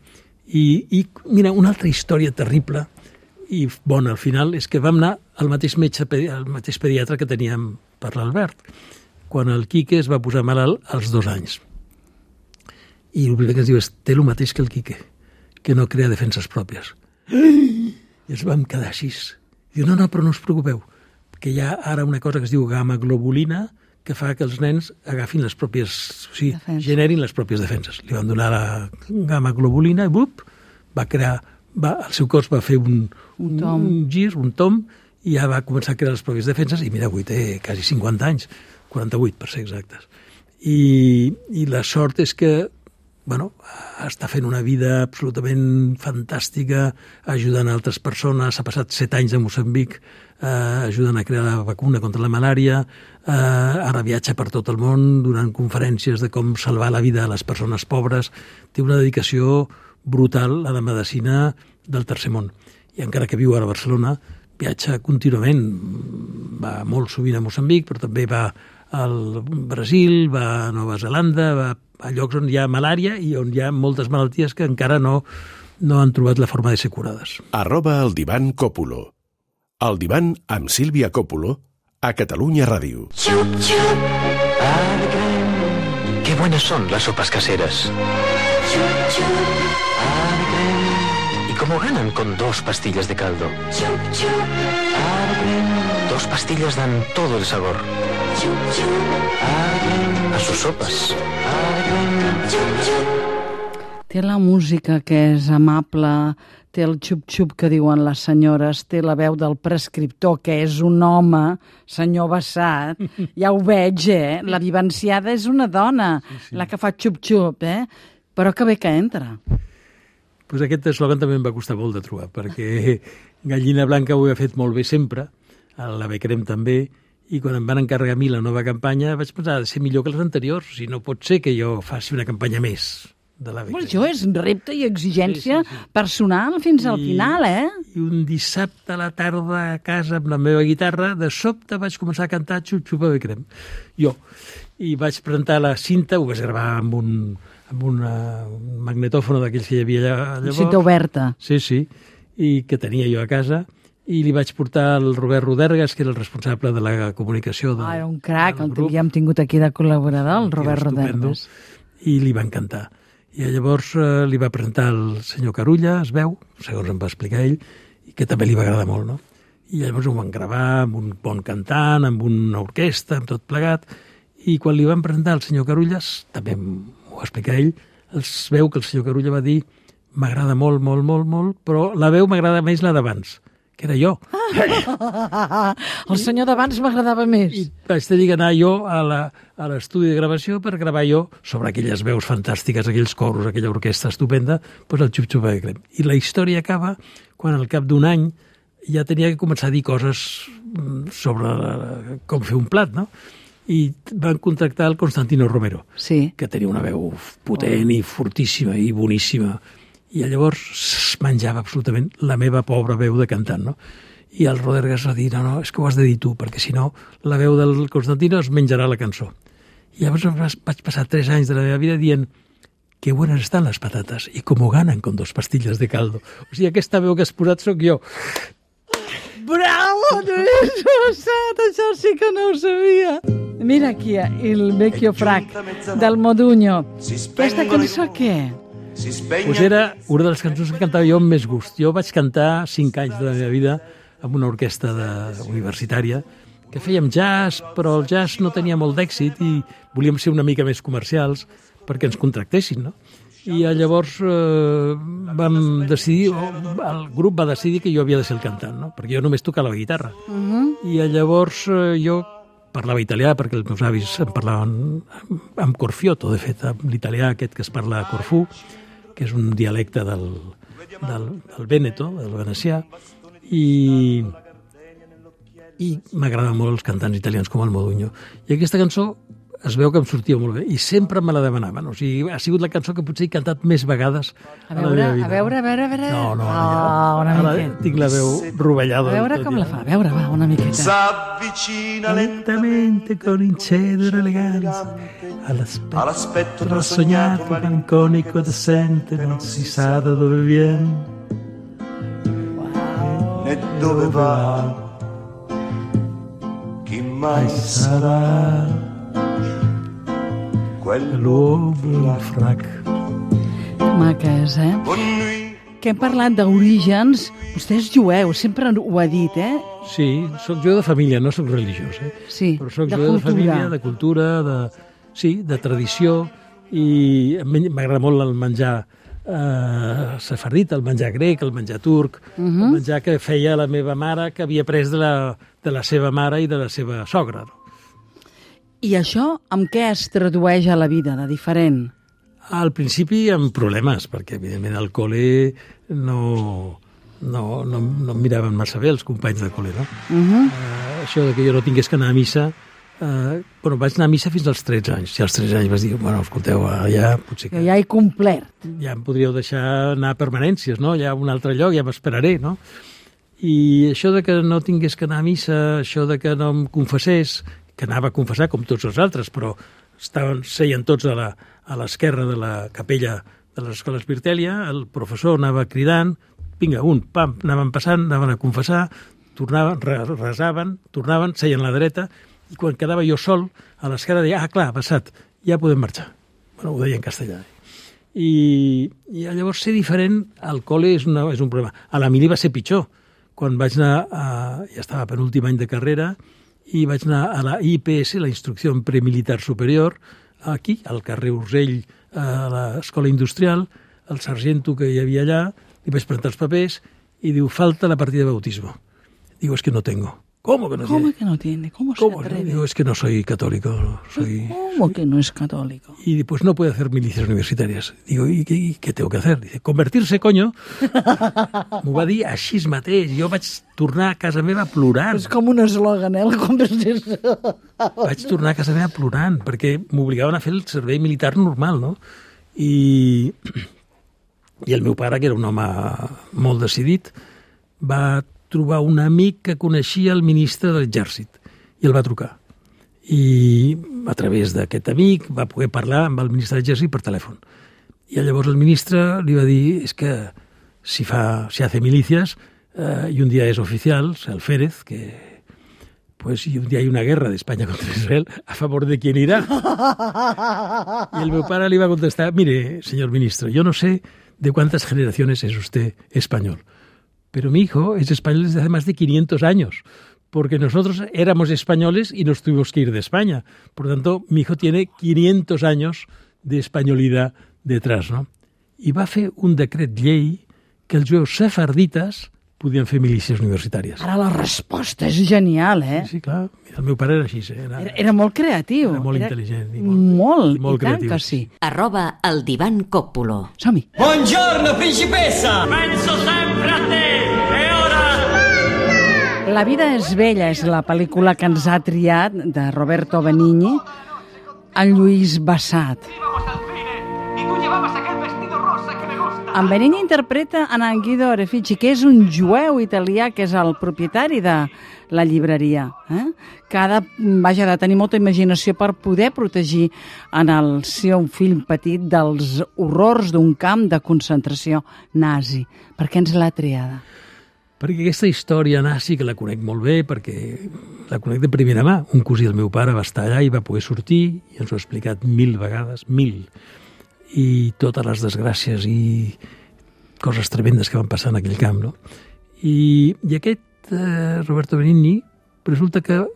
I mira, una altra història terrible i bona al final és que vam anar al mateix metge, al mateix pediatre que teníem per l'Albert, quan el Quique es va posar malalt als 2 anys. I el primer que ens diu és, té el mateix que el Quique, que no crea defenses pròpies. I ens vam quedar així. Diu, no, però no us preocupeu, que hi ha ara una cosa que es diu gamma-globulina, que fa que els nens agafin les pròpies, o sigui, generin les pròpies defenses. Li van donar la gamma-globulina i va crear, el seu cos va fer un gir, un tomb, i ja va començar a crear les pròpies defenses, i mira, avui té quasi 50 anys, 48 per ser exactes. I la sort és que està fent una vida absolutament fantàstica, ajudant altres persones, ha passat 7 anys a Moçambic ajudant a crear la vacuna contra la malària, ara viatja per tot el món donant conferències de com salvar la vida a les persones pobres, té una dedicació brutal a la medicina del tercer món. I encara que viu ara a Barcelona, viatja contínuament, va molt sovint a Moçambic, però també va al Brasil, va a Nova Zelanda, va a llocs on hi ha malària i on hi ha moltes malalties que encara no han trobat la forma de ser curades. @eldivan Còpolo. El divan amb Sílvia Còpolo a Catalunya Ràdio. Chup, chup. Alegre. Qué buenas son las sopas caseras. Chup, chup. Alegre. ¿Y cómo ganan con 2 pastillas de caldo? Chup, chup. Alegre. 2 pastillas dan todo el sabor. Chup, chup. Alegre. A sus sopas. Alegre. Chup, chup. Té la música que és amable, té el xup-xup que diuen les senyores, té la veu del prescriptor, que és un home, senyor Bassat, ja ho veig, La vivenciada és una dona, sí. La que fa xup-xup, Però que bé que entra. Pues aquest eslògan també em va costar molt de trobar, perquè Gallina Blanca ho ha fet molt bé sempre, la Becrem també, i quan em van encarregar a mi la nova campanya vaig pensar, ha de ser millor que les anteriors, o sigui, no pot ser que jo faci una campanya més de la Becrem. Això és repte i exigència personal fins al final, I un dissabte a la tarda a casa amb la meva guitarra, de sobte vaig començar a cantar Xup-xup a Becrem. Jo. I vaig presentar la cinta, ho vaig gravar amb un magnetòfon d'aquells que hi havia llavors. Cinta oberta. Sí, i que tenia jo a casa, i li vaig portar el Robert Rodergas, que era el responsable de la comunicació era un crac, el havíem tingut aquí de col·laborador, el Robert Rodergas. I li va encantar. I llavors li va presentar el senyor Carulla, es veu, segons em va explicar ell, i que també li va agradar molt, no? I llavors ho van gravar amb un bon cantant, amb una orquestra, amb tot plegat, i quan li van presentar el senyor Carullas, també m'ho va explicar ell, es veu que el senyor Carulla va dir m'agrada molt, molt, molt, molt, però la veu m'agrada més la d'abans, que era jo. El senyor d'abans m'agradava més. I vaig tenir que anar jo a l'estudi de gravació per gravar jo sobre aquelles veus fantàstiques, aquells coros, aquella orquestra estupenda, doncs el Xup-Xup de Crem. I la història acaba quan al cap d'un any ja tenia que començar a dir coses sobre com fer un plat, no? I van contractar el Constantino Romero, que tenia una veu potent i fortíssima i boníssima. I llavors es menjava absolutament la meva pobra veu de cantant, no? I el Rodergas va dir, no, és que ho has de dir tu, perquè si no la veu del Constantino es menjarà la cançó. I llavors vaig passar 3 anys de la meva vida dient que buenas están las patatas y como ganan con 2 pastillas de caldo. O sigui, aquesta veu que has posat sóc jo. Bravo, no l'he passat, això sí que no ho sabia. Mira aquí, el vecchio frac del Modugno. Aquesta cançó què? Pues era una de les cançons que cantava jo amb més gust. Jo vaig cantar 5 anys de la meva vida amb una orquestra universitària que fèiem jazz, però el jazz no tenia molt d'èxit i volíem ser una mica més comercials perquè ens contractessin, no? I llavors vam decidir, el grup va decidir que jo havia de ser el cantant, no? Perquè jo només tocava la guitarra. I llavors jo parlava italià, perquè els meus avis em parlaven amb Corfiotto, de fet, amb l'italià aquest que es parla a Corfú, que és un dialecte del Vèneto, del venecià, i m'agraden molt els cantants italians com el Modugno. I aquesta cançó es veu que em sortia molt bé, i sempre me la demanaven. O sigui, ha sigut la cançó que potser he cantat més vegades a la meva vida. A veure. No, una miqueta. Tinc la veu rovellada. A veure com la fa, a veure, va, una miqueta. S'avvicina lentamente con incedere eleganza all'aspetto rassognato, malinconico ed assente, non si sa da dove viene né dove va, chi mai sarà quell'uomo frac. Maques, Que hem parlat d'orígens. Vostè és jueu, sempre ho ha dit, Sí, soc jueu de família, no soc religiós, Sí, però soc jueu de família, de cultura, de tradició, i m'agrada molt el menjar sefardita, el menjar grec, el menjar turc, el menjar que feia la meva mare, que havia pres de la seva mare i de la seva sogra. I això amb què es tradueix a la vida, de diferent? Al principi amb problemes, perquè evidentment al col·le no em miraven massa bé els companys de col·le, no? Això de que jo no tingués que anar a missa, vaig anar a missa fins als 13 anys. I als 13 anys vaig dir, escolteu, ja potser que... Ja he complert. Ja em podríeu deixar anar a permanències, no? Ja a un altre lloc, ja m'esperaré, no? I això de que no tingués que anar a missa, això de que no em confessés, que anava a confessar com tots els altres, però seien tots a l'esquerra de la capella de les escoles Virtèlia, el professor anava cridant, vinga, pam, anaven passant, anaven a confessar, tornaven, resaven, tornaven, seien a la dreta, i quan quedava jo sol, a l'esquerra deia, clar, ha passat, ja podem marxar. Ho deia en castellà. I llavors ser diferent al col·le és un problema. A la mili va ser pitjor. Quan vaig anar, ja estava per l'últim any de carrera, i vaig anar a la IPS, la Instrucció Premilitar Superior, aquí, al carrer Urgell, a l'Escola Industrial, el sargento que hi havia allà, li vaig presentar els papers i diu, falta la partida de bautismo. Digo, es que no tengo. ¿Cómo que no tiene? ¿Cómo que no tiene? ¿Cómo se atreve? Digo, es que no soy católico. ¿Cómo que no es católico? Y pues no puede hacer milicias universitarias. Digo, ¿y qué tengo que hacer? Dice, convertirse, coño. M'ho va dir així mateix. Jo vaig tornar a casa meva plorant. És com un eslògan, el convertir-se. Vaig tornar a casa meva plorant, perquè m'obligaven a fer el servei militar normal, no? I el meu pare, que era un home molt decidit, va trobar un amic que coneixia el ministre de l'Exèrcit i el va trucar. I a través d'aquest amic va poder parlar amb el ministre de l'Exèrcit per telèfon. I llavors el ministre li va dir, és que si hace milicias y un día es oficial, el Férez, que pues y un día hay una guerra d'Espanya contra Israel, a favor de quién irá. Y el meu pare le iba a contestar, mire, señor ministro, yo no sé de cuántas generaciones es usted español, pero mi hijo es español desde hace más de 500 años, porque nosotros éramos españoles y nos tuvimos que ir de España. Por lo tanto, mi hijo tiene 500 años de españolidad detrás, no? I va fer un decret llei que els jueus sefardites podien fer milícies universitàries. Ara la resposta és genial, eh? Sí, clar. El meu pare era així. Era molt creatiu. Era molt intel·ligent. Molt, i molt tant creatiu. que sí. @el divan Coppulo. Som-hi. Buongiorno, principessa! Penso sempre a te! E ora... La vida és bella és la pel·lícula que ens ha triat de Roberto Benigni, en Lluís Bassat. En Benigni interpreta en Guido Orefici, que és un jueu italià que és el propietari de la llibreria, que ha de tenir molta imaginació per poder protegir en el seu fill petit dels horrors d'un camp de concentració nazi. Per què ens l'ha triada? Perquè aquesta història nazi, que la conec molt bé, perquè la conec de primera mà. Un cosí del meu pare va estar allà i va poder sortir, i ens ho ha explicat 1000 vegades, 1000. I totes les desgràcies i coses tremendes que van passar en aquell camp, no? I aquest Roberto Benigni resulta que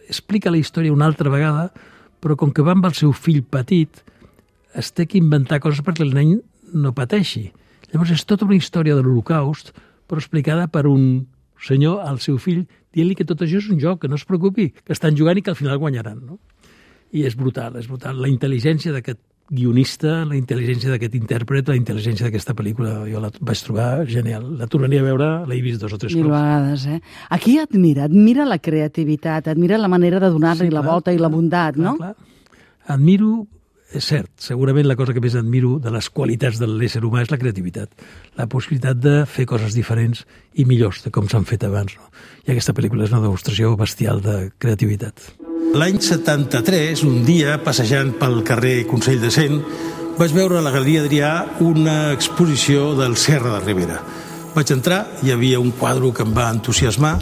explica la història una altra vegada, però com que va amb el seu fill petit, es té que inventar coses perquè el nen no pateixi. Llavors és tota una història de l'Holocaust, però explicada per un senyor al seu fill, dient-li que tot això és un joc, que no es preocupi, que estan jugant i que al final guanyaran, no? I és brutal, és brutal. La intel·ligència d'aquest guionista, la intel·ligència d'aquest intèrpret, la intel·ligència d'aquesta pel·lícula, jo la vaig trobar genial. La tornaria a veure, l'he vist 2 o 3 cops. 1000 vegades, eh? Aquí admira la creativitat, admira la manera de donar-li la volta i la bondat, no? Clar. Admiro, és cert, segurament la cosa que més admiro de les qualitats de l'ésser humà és la creativitat, la possibilitat de fer coses diferents i millors de com s'han fet abans, no? I aquesta pel·lícula és una demostració bestial de creativitat. L'any 73, un dia, passejant pel carrer Consell de Cent, vaig veure a la Galeria Adrià una exposició del Serra de Ribera. Vaig entrar, hi havia un quadre que em va entusiasmar.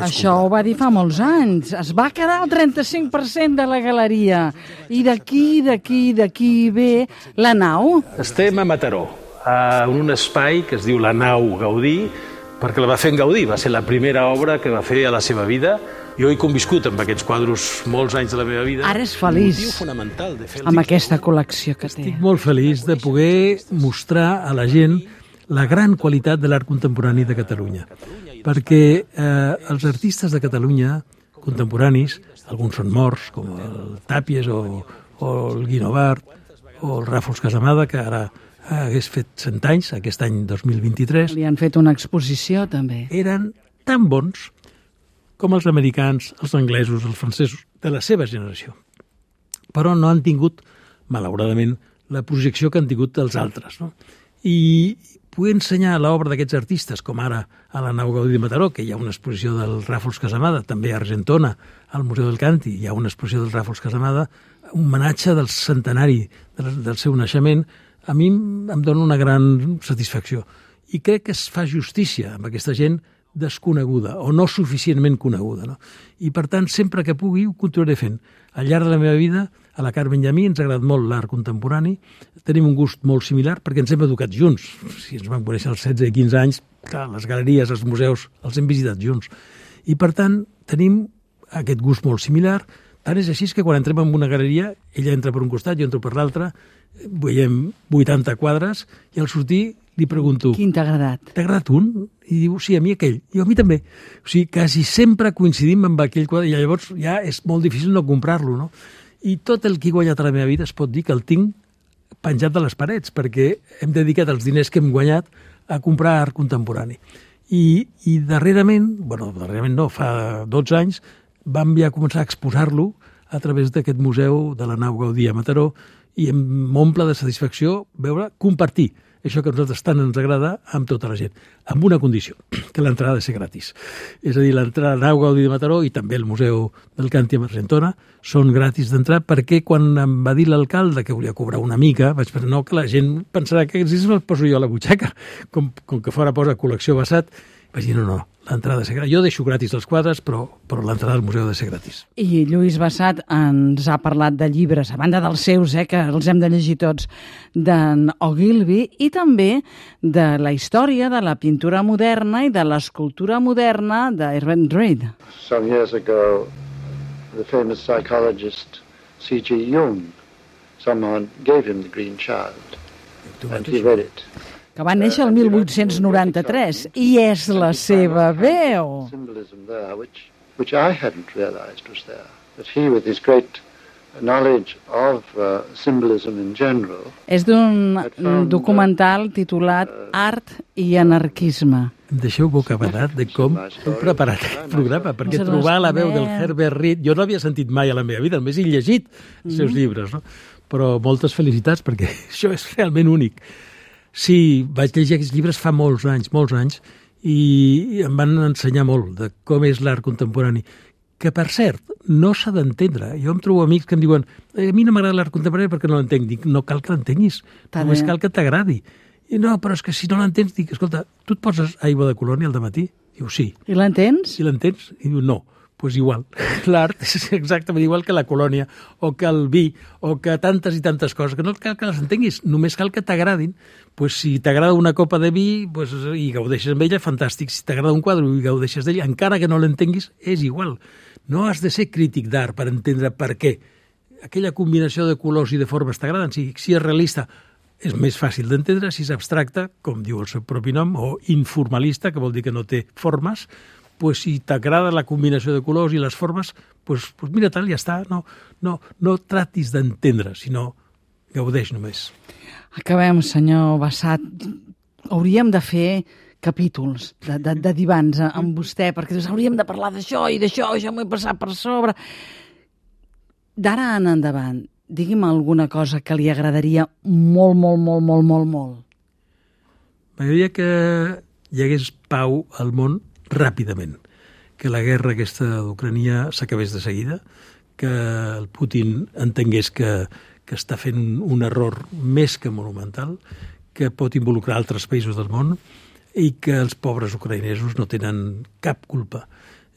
Això ho va dir fa molts anys. Es va quedar el 35% de la galeria. I d'aquí ve la nau. Estem a Mataró, en un espai que es diu la nau Gaudí, perquè la va fer en Gaudí, va ser la primera obra que va fer a la seva vida. Jo he conviscut amb aquests quadros molts anys de la meva vida. Ara és feliç amb aquesta col·lecció que té. Estic molt feliç de poder mostrar a la gent la gran qualitat de l'art contemporani de Catalunya. Perquè els artistes de Catalunya contemporanis, alguns són morts, com el Tàpies o el Guinovart o el Ràfols Casamada, que ara hagués fet 100 anys, aquest any 2023. Li han fet una exposició, també. Eren tan bons com els americans, els anglesos, els francesos, de la seva generació. Però no han tingut, malauradament, la projecció que han tingut els altres, no? I poder ensenyar l'obra d'aquests artistes, com ara a la nau Gaudí de Mataró, que hi ha una exposició del Ràfols Casamada, també a Argentona, al Museu del Canti, hi ha una exposició del Ràfols Casamada, un homenatge del centenari del seu naixement, a mi em dona una gran satisfacció. I crec que es fa justícia amb aquesta gent desconeguda o no suficientment coneguda, no? I, per tant, sempre que pugui ho continuaré fent. Al llarg de la meva vida, a la Carmen i a mi ens ha agradat molt l'art contemporani, tenim un gust molt similar perquè ens hem educat junts. Si ens vam conèixer als 16 i 15 anys, clar, les galeries, els museus, els hem visitat junts. I, per tant, tenim aquest gust molt similar. Tant és així que quan entrem en una galeria, ella entra per un costat, jo entro per l'altre, veiem 80 quadres i al sortir li pregunto... Quin t'ha agradat? T'ha agradat un? I diu, sí, a mi aquell. I a mi també. O sigui, quasi sempre coincidim amb aquell quadre i llavors ja és molt difícil no comprar-lo, no? I tot el que he guanyat a la meva vida es pot dir que el tinc penjat de les parets perquè hem dedicat els diners que hem guanyat a comprar art contemporani. I darrerament no, fa 12 anys, vam ja començar a exposar-lo a través d'aquest museu de la nau Gaudí a Mataró i m'omple de satisfacció veure compartir això que a nosaltres tant ens agrada amb tota la gent, amb una condició, que l'entrada ha de ser gratis. És a dir, l'entrada a Nau Gaudí de Mataró i també el Museu del Càntir a Argentona són gratis d'entrar, perquè quan em va dir l'alcalde que volia cobrar una mica, vaig pensar, no, que la gent pensarà que si me'l poso jo a la butxaca, com que fora posa col·lecció Bassat. Vaig dir, no, l'entrada ha de ser gratis. Jo deixo gratis els quadres, però l'entrada al museu ha de ser gratis. I Lluís Bassat ens ha parlat de llibres, a banda dels seus, que els hem de llegir tots, d'en Ogilvy, i també de la història de la pintura moderna i de l'escultura moderna d'Erwin Reed. Some years ago, the famous psychologist C.G. Jung, someone gave him The Green Child, and he read it. Que va néixer el 1893, i és la seva veu. Symbolism there, which I hadn't realized was there. But he, with his great knowledge of symbolism in general... És d'un documental titulat Art i anarquisme. Em deixeu bocabadat de com heu preparat aquest programa, perquè trobar la veu del Herbert Reed, jo no l'havia sentit mai a la meva vida, només he llegit els seus llibres, no? Però moltes felicitats, perquè això és realment únic. Sí, vaig llegir aquests llibres fa molts anys, i em van ensenyar molt de com és l'art contemporani, que, per cert, no s'ha d'entendre. Jo em trobo amics que em diuen a mi no m'agrada l'art contemporani perquè no l'entenc. Dic, no cal que l'entenguis, només cal que t'agradi. I no, però és que si no l'entens, dic, escolta, tu et poses aigua de colònia al dematí? Diu, sí. I l'entens? I l'entens? I diu, no. Pues igual. L'art és exactament igual que la colònia, o que el vi, o que tantes i tantes coses, que no cal que les entenguis, només cal que t'agradin. Pues si t'agrada una copa de vi i gaudeixes amb ella, fantàstic. Si t'agrada un quadre i gaudeixes d'ell, encara que no l'entenguis, és igual. No has de ser crític d'art per entendre per què. Aquella combinació de colors i de formes t'agraden. Si és realista, és més fàcil d'entendre. Si és abstracte, com diu el seu propi nom, o informalista, que vol dir que no té formes, pues si t'agrada la combinació de colors i les formes, pues mira tal, ja està. No tratis d'entendre, sinó gaudeix només. Acabem, senyor Bassat. Hauríem de fer capítols de divans amb vostè, perquè hauríem de parlar d'això i d'això, ja m'ho he passat per sobre. D'ara en endavant, digui'm alguna cosa que li agradaria molt. M'agradaria que hi hagués pau al món ràpidament, que la guerra aquesta d'Ucrània s'acabés de seguida, que el Putin entengués que està fent un error més que monumental, que pot involucrar altres països del món i que els pobres ucraïnesos no tenen cap culpa.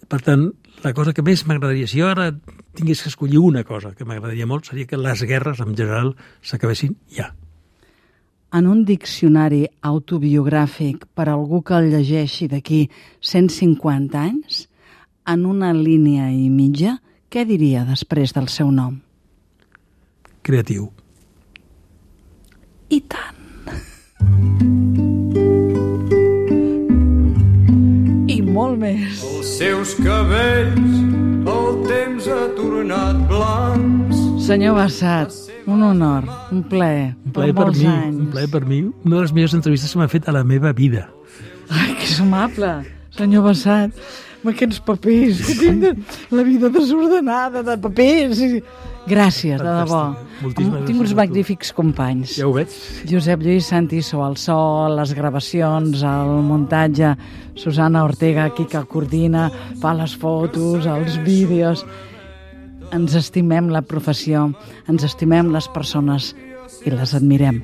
Per tant, la cosa que més m'agradaria, si jo ara tingués que escollir una cosa que m'agradaria molt, seria que les guerres en general s'acabessin ja. En un diccionari autobiogràfic per a algú que el llegeixi d'aquí 150 anys, en una línia i mitja, què diria després del seu nom? Creatiu. I tant. I molt més. Els seus cabells el temps ha tornat blancs. Senyor Bassat, un honor, un plaer. Un plaer per mi, un plaer per mi. Una de les millors entrevistes que m'ha fet a la meva vida. Ai, que és amable, senyor Bassat. Amb aquests papers, que tinc la vida desordenada de papers. Gràcies, de debò. Tinc uns magnífics companys. Ja ho veig. Josep Lluís Santiso, al so, les gravacions, el muntatge, Susana Ortega, aquí que coordina, fa les fotos, els vídeos. Ens estimem la professió, ens estimem les persones i les admirem,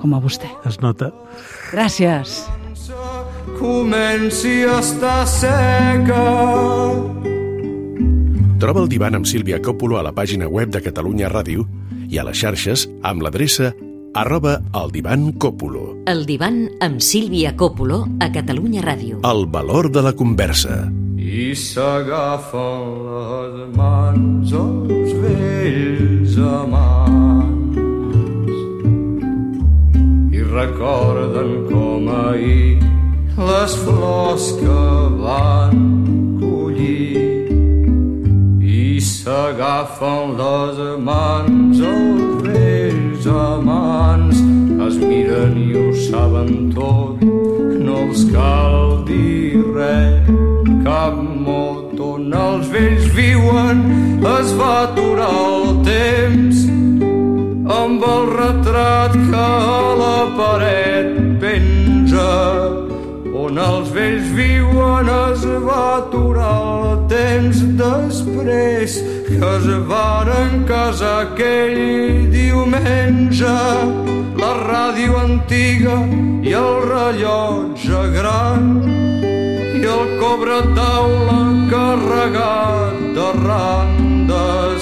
com a vostè. Es nota. Gràcies. Comenci a estar seca. Troba el divan amb Sílvia Coppola a la pàgina web de Catalunya Ràdio i a les xarxes amb l'adreça @eldivancopolo. El divan amb Sílvia Coppola a Catalunya Ràdio. El valor de la conversa. I s'agafen les mans els vells amants i recorden com ahir les flors que van collir. I s'agafen les mans els vells amants, es miren i ho saben tot, no els cal dir res, cap mot. On els vells viuen es va aturar el temps amb el retrat que a la paret penja, on els vells viuen es va aturar el temps després que es varen casar aquell diumenge. La ràdio antiga i el rellotge gran i el cobretaula carregat de randes.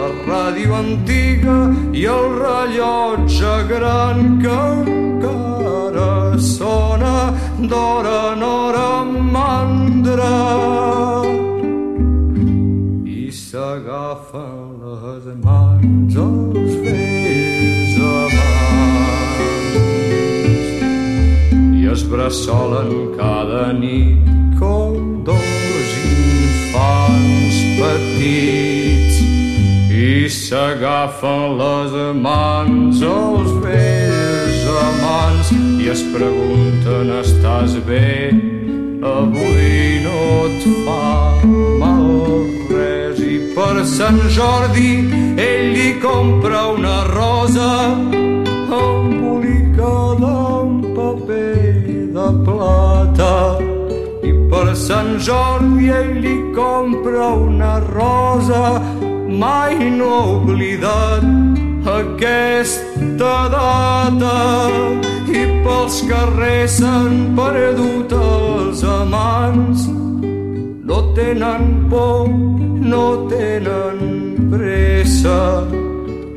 La ràdio antiga i el rellotge gran que encara sona d'hora en hora mandra. I s'agafen les mans els vells amants i es bressolen cada nit com dos infants petits. I s'agafen les mans els vells amants i es pregunten: estàs bé? Avui no et fa mal res. I per Sant Jordi ell li compra una rosa embolicada en paper de plata. I per Sant Jordi ell li compra una rosa. Mai no he oblidat aquesta data i pels carrers s'han perdut els amants. No tenen por, no tenen pressa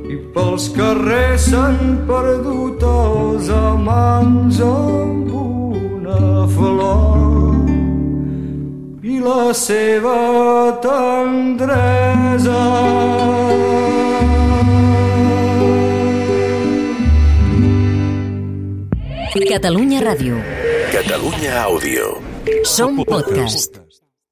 i pels carrers s'han perdut els amants amb una flor i la seva tendresa. Catalunya Ràdio. Catalunya Àudio. Som podcast.